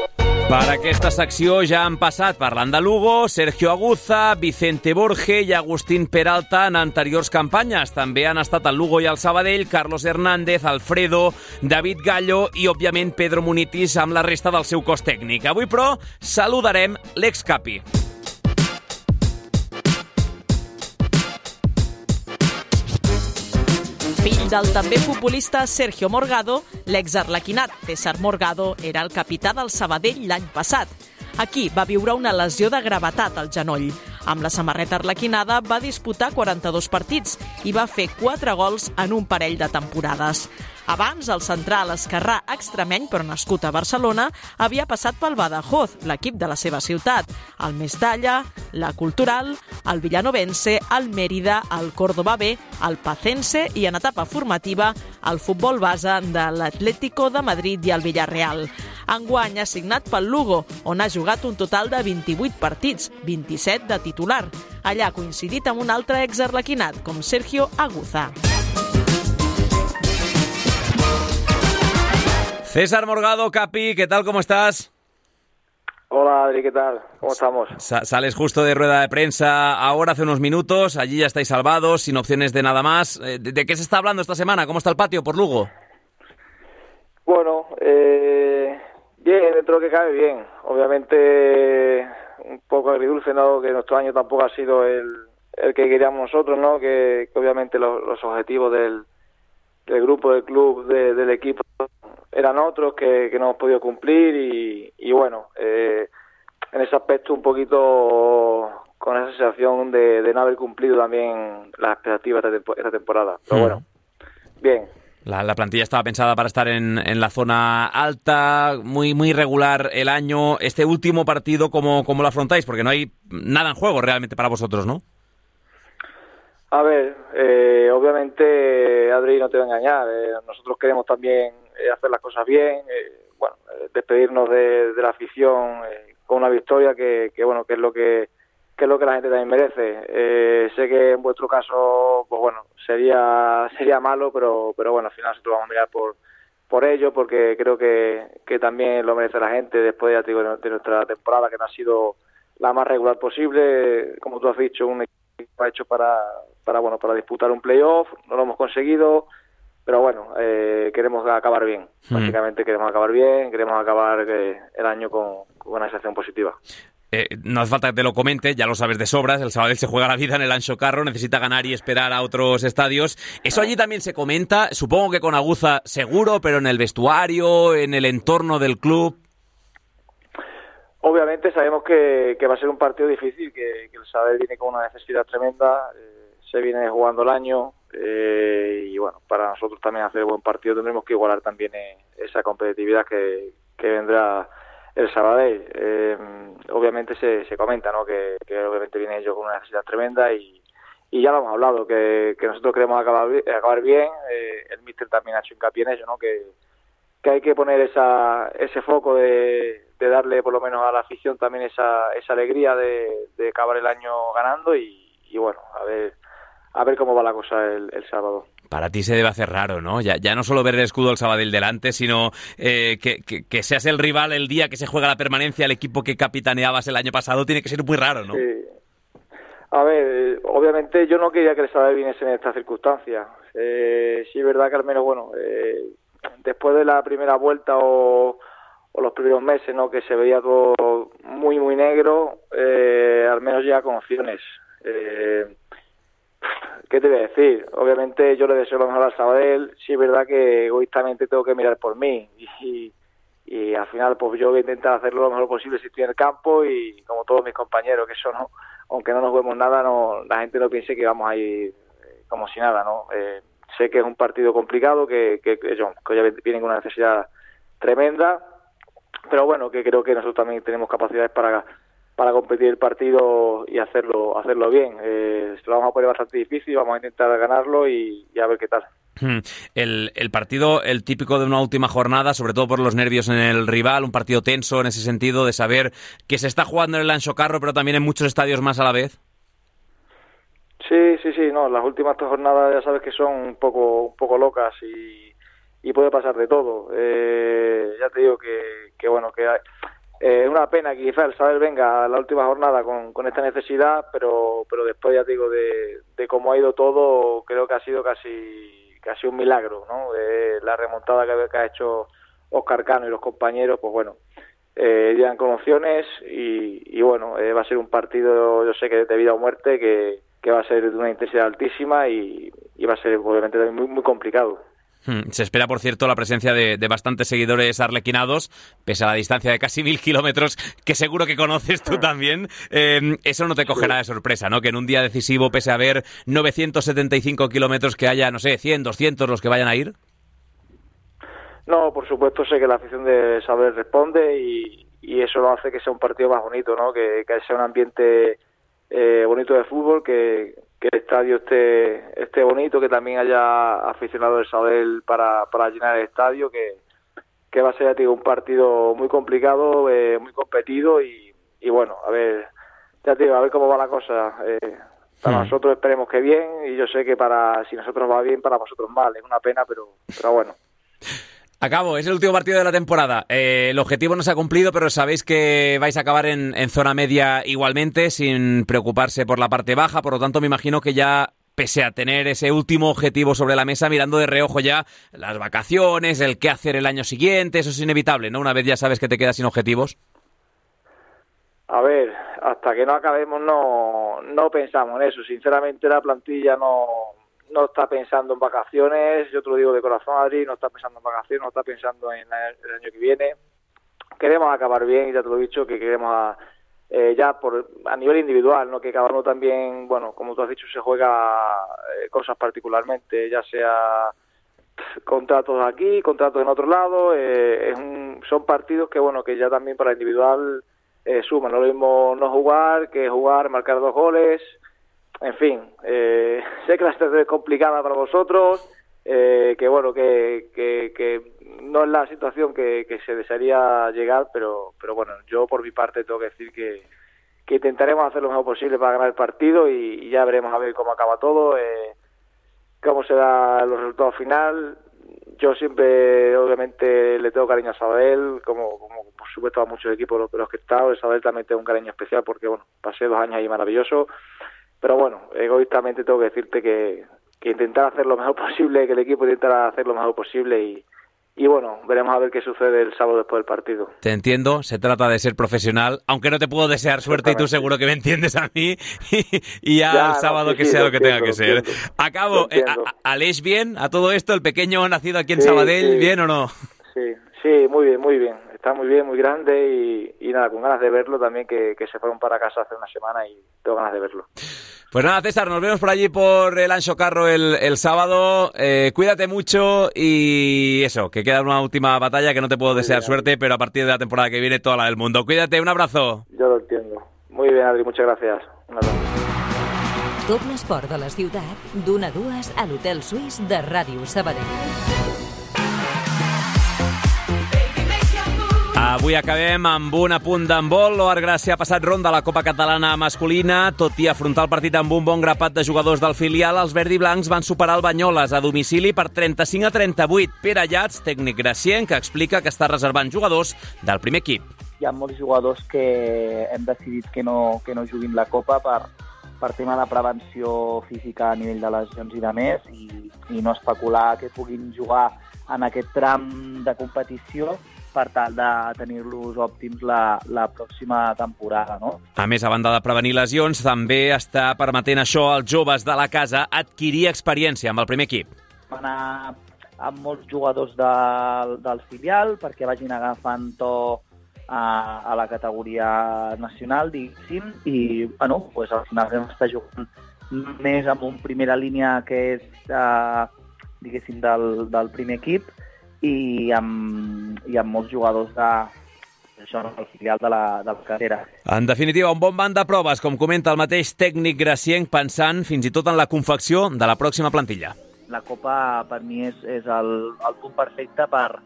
Per aquesta secció ja han passat, parlant de Lugo, Sergio Aguza, Vicente Borge i Agustín Peralta en anteriors campanyes. També han estat el Lugo i el Sabadell, Carlos Hernández, Alfredo, David Gallo i, òbviament, Pedro Munitis amb la resta del seu cos tècnic. Avui, però, saludarem l'ex-capi. Fill del també futbolista Sergio Morgado, l'ex-arlequinat César Morgado era el capità del Sabadell l'any passat. Aquí va viure una lesió de gravetat al genoll. Amb la samarreta arlequinada va disputar quaranta-dos partits i va fer quatre gols en un parell de temporades. Abans, el central esquerrà extremeny, però nascut a Barcelona, havia passat pel Badajoz, l'equip de la seva ciutat, el Mestalla, la Cultural, el Villanovense, el Mérida, el Córdoba B, el Pacense i, en etapa formativa, el futbol base de l'Atlético de Madrid i el Villarreal. Enguany ha signat pel Lugo, on ha jugat un total de vint-i-vuit partits, vint-i-set de titular. Allà ha coincidit amb un altre ex-arlequinat, com Sergio Aguza. César Morgado, Capi, ¿qué tal? ¿Cómo estás? Hola, Adri, ¿qué tal? ¿Cómo estamos? Sa- sales justo de rueda de prensa ahora, hace unos minutos. Allí ya estáis salvados, sin opciones de nada más. ¿De, de qué se está hablando esta semana? ¿Cómo está el patio por Lugo? Bueno, eh, bien, dentro de lo que cabe, bien. Obviamente un poco agridulce, ¿no? Que nuestro año tampoco ha sido el, el que queríamos nosotros, ¿no? Que, que obviamente los, los objetivos del, del grupo, del club, de, del equipo eran otros que, que no hemos podido cumplir y, y bueno, eh, en ese aspecto un poquito con esa sensación de, de no haber cumplido también las expectativas de tempo- esta temporada. Pero bueno, bien. La, la plantilla estaba pensada para estar en, en la zona alta, muy muy regular el año. Este último partido, ¿cómo, cómo lo afrontáis? Porque no hay nada en juego realmente para vosotros, ¿no? A ver, eh, obviamente, Adri, no te voy a engañar. Eh, nosotros queremos también eh, hacer las cosas bien, eh, bueno, eh, despedirnos de, de la afición eh, con una victoria que, que bueno, que es lo que que es lo que la gente también merece. Eh, sé que en vuestro caso, pues bueno, sería sería malo, pero pero bueno, al final nosotros vamos a mirar por por ello, porque creo que, que también lo merece la gente después, ya te digo, de nuestra temporada, que no ha sido la más regular posible. Como tú has dicho, un equipo hecho para para bueno para disputar un playoff, no lo hemos conseguido, pero bueno, eh, queremos acabar bien. Básicamente queremos acabar bien, queremos acabar eh, el año con, con una sensación positiva. Eh, no hace falta que te lo comente, ya lo sabes de sobras, el Sabadell se juega la vida en el Anxo Carro, necesita ganar y esperar a otros estadios. Eso allí también se comenta, supongo que con aguza seguro, pero en el vestuario, en el entorno del club. Obviamente sabemos que, que va a ser un partido difícil, que, que el Sabadell viene con una necesidad tremenda, eh, se viene jugando el año eh, y bueno, para nosotros también hacer buen partido tendremos que igualar también eh, esa competitividad que, que vendrá el Sabadell. Eh, obviamente se, se comenta, ¿no? Que, que obviamente viene ellos con una necesidad tremenda y, y ya lo hemos hablado, que, que nosotros queremos acabar, acabar bien. Eh, el míster también ha hecho hincapié en ello, ¿no? Que, que hay que poner esa, ese foco de, de darle por lo menos a la afición también esa, esa alegría de, de acabar el año ganando y, y bueno, a ver a ver cómo va la cosa el, el sábado. Para ti se debe hacer raro, ¿no? Ya, ya no solo ver el escudo del Sabadell delante, sino eh, que, que, que seas el rival el día que se juega la permanencia, el equipo que capitaneabas el año pasado, tiene que ser muy raro, ¿no? Sí. A ver, obviamente yo no quería que el Sabadell viniese en estas circunstancias. Eh, sí es verdad que al menos, bueno, eh, después de la primera vuelta o, o los primeros meses, ¿no? Que se veía todo muy, muy negro, eh, al menos ya con opciones. Eh, ¿Qué te voy a decir? Obviamente yo le deseo lo mejor al Sabadell, sí es verdad que egoístamente tengo que mirar por mí y, y al final pues yo voy a intentar hacerlo lo mejor posible si estoy en el campo y como todos mis compañeros, que eso no, aunque no nos vemos nada, no, la gente no piense que vamos a ir eh, como si nada, ¿no? Eh, sé que es un partido complicado, que, que, que, ellos, que ya vienen con una necesidad tremenda, pero bueno, que creo que nosotros también tenemos capacidades para para competir el partido y hacerlo hacerlo bien. Eh, se lo vamos a poner bastante difícil, vamos a intentar ganarlo y, y a ver qué tal. El, el partido, el típico de una última jornada, sobre todo por los nervios en el rival, un partido tenso en ese sentido, de saber que se está jugando en el Anxo Carro, pero también en muchos estadios más a la vez. Sí, sí, sí, no, las últimas tres jornadas ya sabes que son un poco un poco locas y, y puede pasar de todo. Eh, ya te digo que, que bueno, que hay... Es eh, una pena que quizás el Sabadell venga a la última jornada con, con esta necesidad, pero pero después ya te digo de, de cómo ha ido todo, creo que ha sido casi casi un milagro, ¿no? De la remontada que, que ha hecho Óscar Cano y los compañeros, pues bueno, eh, llegan con opciones y, y bueno, eh, va a ser un partido, yo sé que de vida o muerte, que, que va a ser de una intensidad altísima y, y va a ser obviamente muy, muy complicado. Se espera, por cierto, la presencia de, de bastantes seguidores arlequinados, pese a la distancia de casi mil kilómetros, que seguro que conoces tú también. Eh, eso no te cogerá de sorpresa, ¿no? Que en un día decisivo, pese a haber novecientos setenta y cinco kilómetros, que haya, no sé, cien, doscientos los que vayan a ir. No, por supuesto, sé que la afición de Sabadell responde y, y eso lo hace que sea un partido más bonito, ¿no? Que, que sea un ambiente eh, bonito de fútbol, que... que el estadio esté esté bonito, que también haya aficionados del Sabadell para, para llenar el estadio, que, que va a ser, digo, un partido muy complicado, eh, muy competido y, y bueno, a ver, ya te digo, a ver cómo va la cosa. Eh, para hmm. nosotros esperemos que bien y yo sé que para si nosotros va bien, para vosotros mal. Es una pena, pero, pero bueno. Acabo, es el último partido de la temporada. Eh, el objetivo no se ha cumplido, pero sabéis que vais a acabar en, en zona media igualmente, sin preocuparse por la parte baja. Por lo tanto, me imagino que ya, pese a tener ese último objetivo sobre la mesa, mirando de reojo ya las vacaciones, el qué hacer el año siguiente, eso es inevitable, ¿no? Una vez ya sabes que te quedas sin objetivos. A ver, hasta que no acabemos no, no pensamos en eso. Sinceramente, la plantilla no... no está pensando en vacaciones, yo te lo digo de corazón, Adri, no está pensando en vacaciones, no está pensando en el año que viene. Queremos acabar bien, y ya te lo he dicho, que queremos a, eh, ya por a nivel individual, no que cada uno también, bueno, como tú has dicho, se juega eh, cosas particularmente, ya sea contratos aquí, contratos en otro lado, eh, es un, son partidos que, bueno, que ya también para el individual eh, suman, no es lo mismo no jugar que jugar, marcar dos goles. En fin, eh, sé que la situación es complicada para vosotros, eh, que bueno, que, que, que no es la situación que, que se desearía llegar, pero pero bueno, yo por mi parte tengo que decir que, que intentaremos hacer lo mejor posible para ganar el partido y, y ya veremos a ver cómo acaba todo, eh, cómo se dan los resultados final. Yo siempre, obviamente, le tengo cariño a Sabadell, como, como por supuesto a muchos equipos de los que he estado. El Sabadell también tengo un cariño especial porque, bueno, pasé dos años ahí maravilloso. Pero bueno, egoístamente tengo que decirte que, que intentar hacer lo mejor posible, que el equipo intentara hacer lo mejor posible y, y bueno, veremos a ver qué sucede el sábado después del partido. Te entiendo, se trata de ser profesional, aunque no te puedo desear suerte y tú seguro que me entiendes a mí, y, y ya, ya el sábado no, sí, que sí, sea lo, lo que entiendo, tenga que ser. Entiendo. Acabo, eh, ¿Aleix bien a todo esto? ¿El pequeño nacido aquí en sí, Sabadell, sí. bien o no? Sí, sí, muy bien, muy bien. Está muy bien, muy grande y, y nada, con ganas de verlo también, que, que se fueron para casa hace una semana y tengo ganas de verlo. Pues nada, César, nos vemos por allí por el Anxo Carro el, el sábado. Eh, cuídate mucho y eso, que queda una última batalla que no te puedo muy desear bien, suerte, Adri. Pero a partir de la temporada que viene toda la del mundo. Cuídate, un abrazo. Yo lo entiendo. Muy bien, Adri, muchas gracias. Un abrazo. Tot l'esport de la ciutat, d'una a dues a l'Hotel Suís de Ràdio Sabadell. Avui acabem amb un apunt d'handbol. L'O Gràcia ha passat ronda a la Copa Catalana masculina. Tot i afrontar el partit amb un bon grapat de jugadors del filial, els verdiblancs van superar el Banyoles a domicili per trenta-cinc a trenta-vuit. Pere Llats, tècnic gracienc, que explica que està reservant jugadors del primer equip. Hi ha molts jugadors que hem decidit que no, que no juguin la Copa per, per tema de prevenció física a nivell de lesions i de més, i, i no especular que puguin jugar en aquest tram de competició per tal de tenir-los òptims la, la pròxima temporada, no? A més, a banda de prevenir lesions, també està permetent això als joves de la casa adquirir experiència amb el primer equip. Va anar amb molts jugadors del, del filial perquè vagin agafant to a, a la categoria nacional, diguéssim, i bueno, pues, al final vam estar jugant més amb un primera línia que és, eh, diguéssim, del, del primer equip, i amb, i amb molts jugadors de, això, el filial de la, de la carrera. En definitiva, un bon banc de proves, com comenta el mateix tècnic gracienc, pensant fins i tot en la confecció de la pròxima plantilla. La Copa, per mi, és, és el, el punt perfecte per,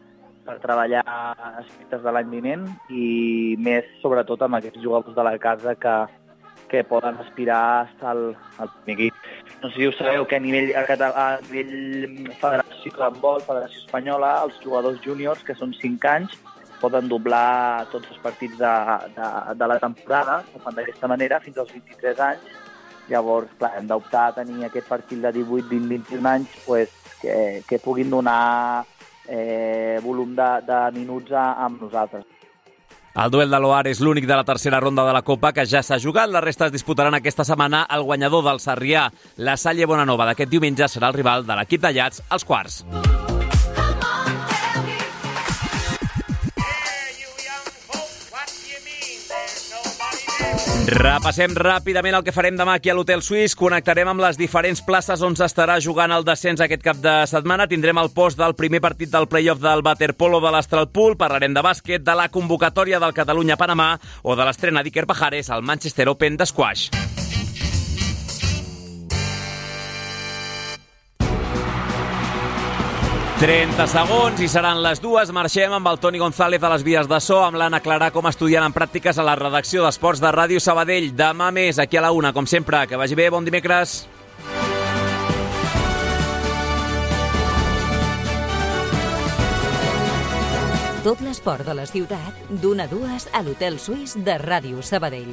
per treballar aspectes de l'any vinent i més, sobretot, amb aquests jugadors de la casa que, que poden aspirar a estar al, al primer equip. No sé si ho sabeu, que a nivell, a, a nivell Federació d'Handbol, Federació Espanyola, els jugadors júniors, que són cinc anys, poden doblar tots els partits de, de, de la temporada, ho fan d'aquesta manera, fins als vint-i-tres anys. Llavors, clar, hem d'optar a tenir aquest perfil de divuit, vint, vint-i-un anys pues, que, que puguin donar eh, volum de, de minuts a, amb nosaltres. El duel de l'Oar és l'únic de la tercera ronda de la Copa que ja s'ha jugat. La resta es disputaran aquesta setmana. El guanyador del Sarrià, la Salle Bonanova, d'aquest diumenge serà el rival de l'equip de Llats als quarts. Repassem ràpidament el que farem demà aquí a l'Hotel Suís. Connectarem amb les diferents places on s'estarà jugant el descens aquest cap de setmana. Tindrem el post del primer partit del play-off del waterpolo de l'Astralpool. Parlarem de bàsquet, de la convocatòria del Catalunya-Panamà o de l'estrena d'Iker Pajares al Manchester Open d'Squash. trenta segons i seran les dues. Marxem amb el Toni González a les vies de so, amb l'Anna Clarà com a estudiant en pràctiques a la redacció d'Esports de Ràdio Sabadell. Demà més, aquí a la una, com sempre. Que vagi bé, bon dimecres. Tot l'esport de la ciutat, d'una a dues a l'Hotel Suís de Ràdio Sabadell.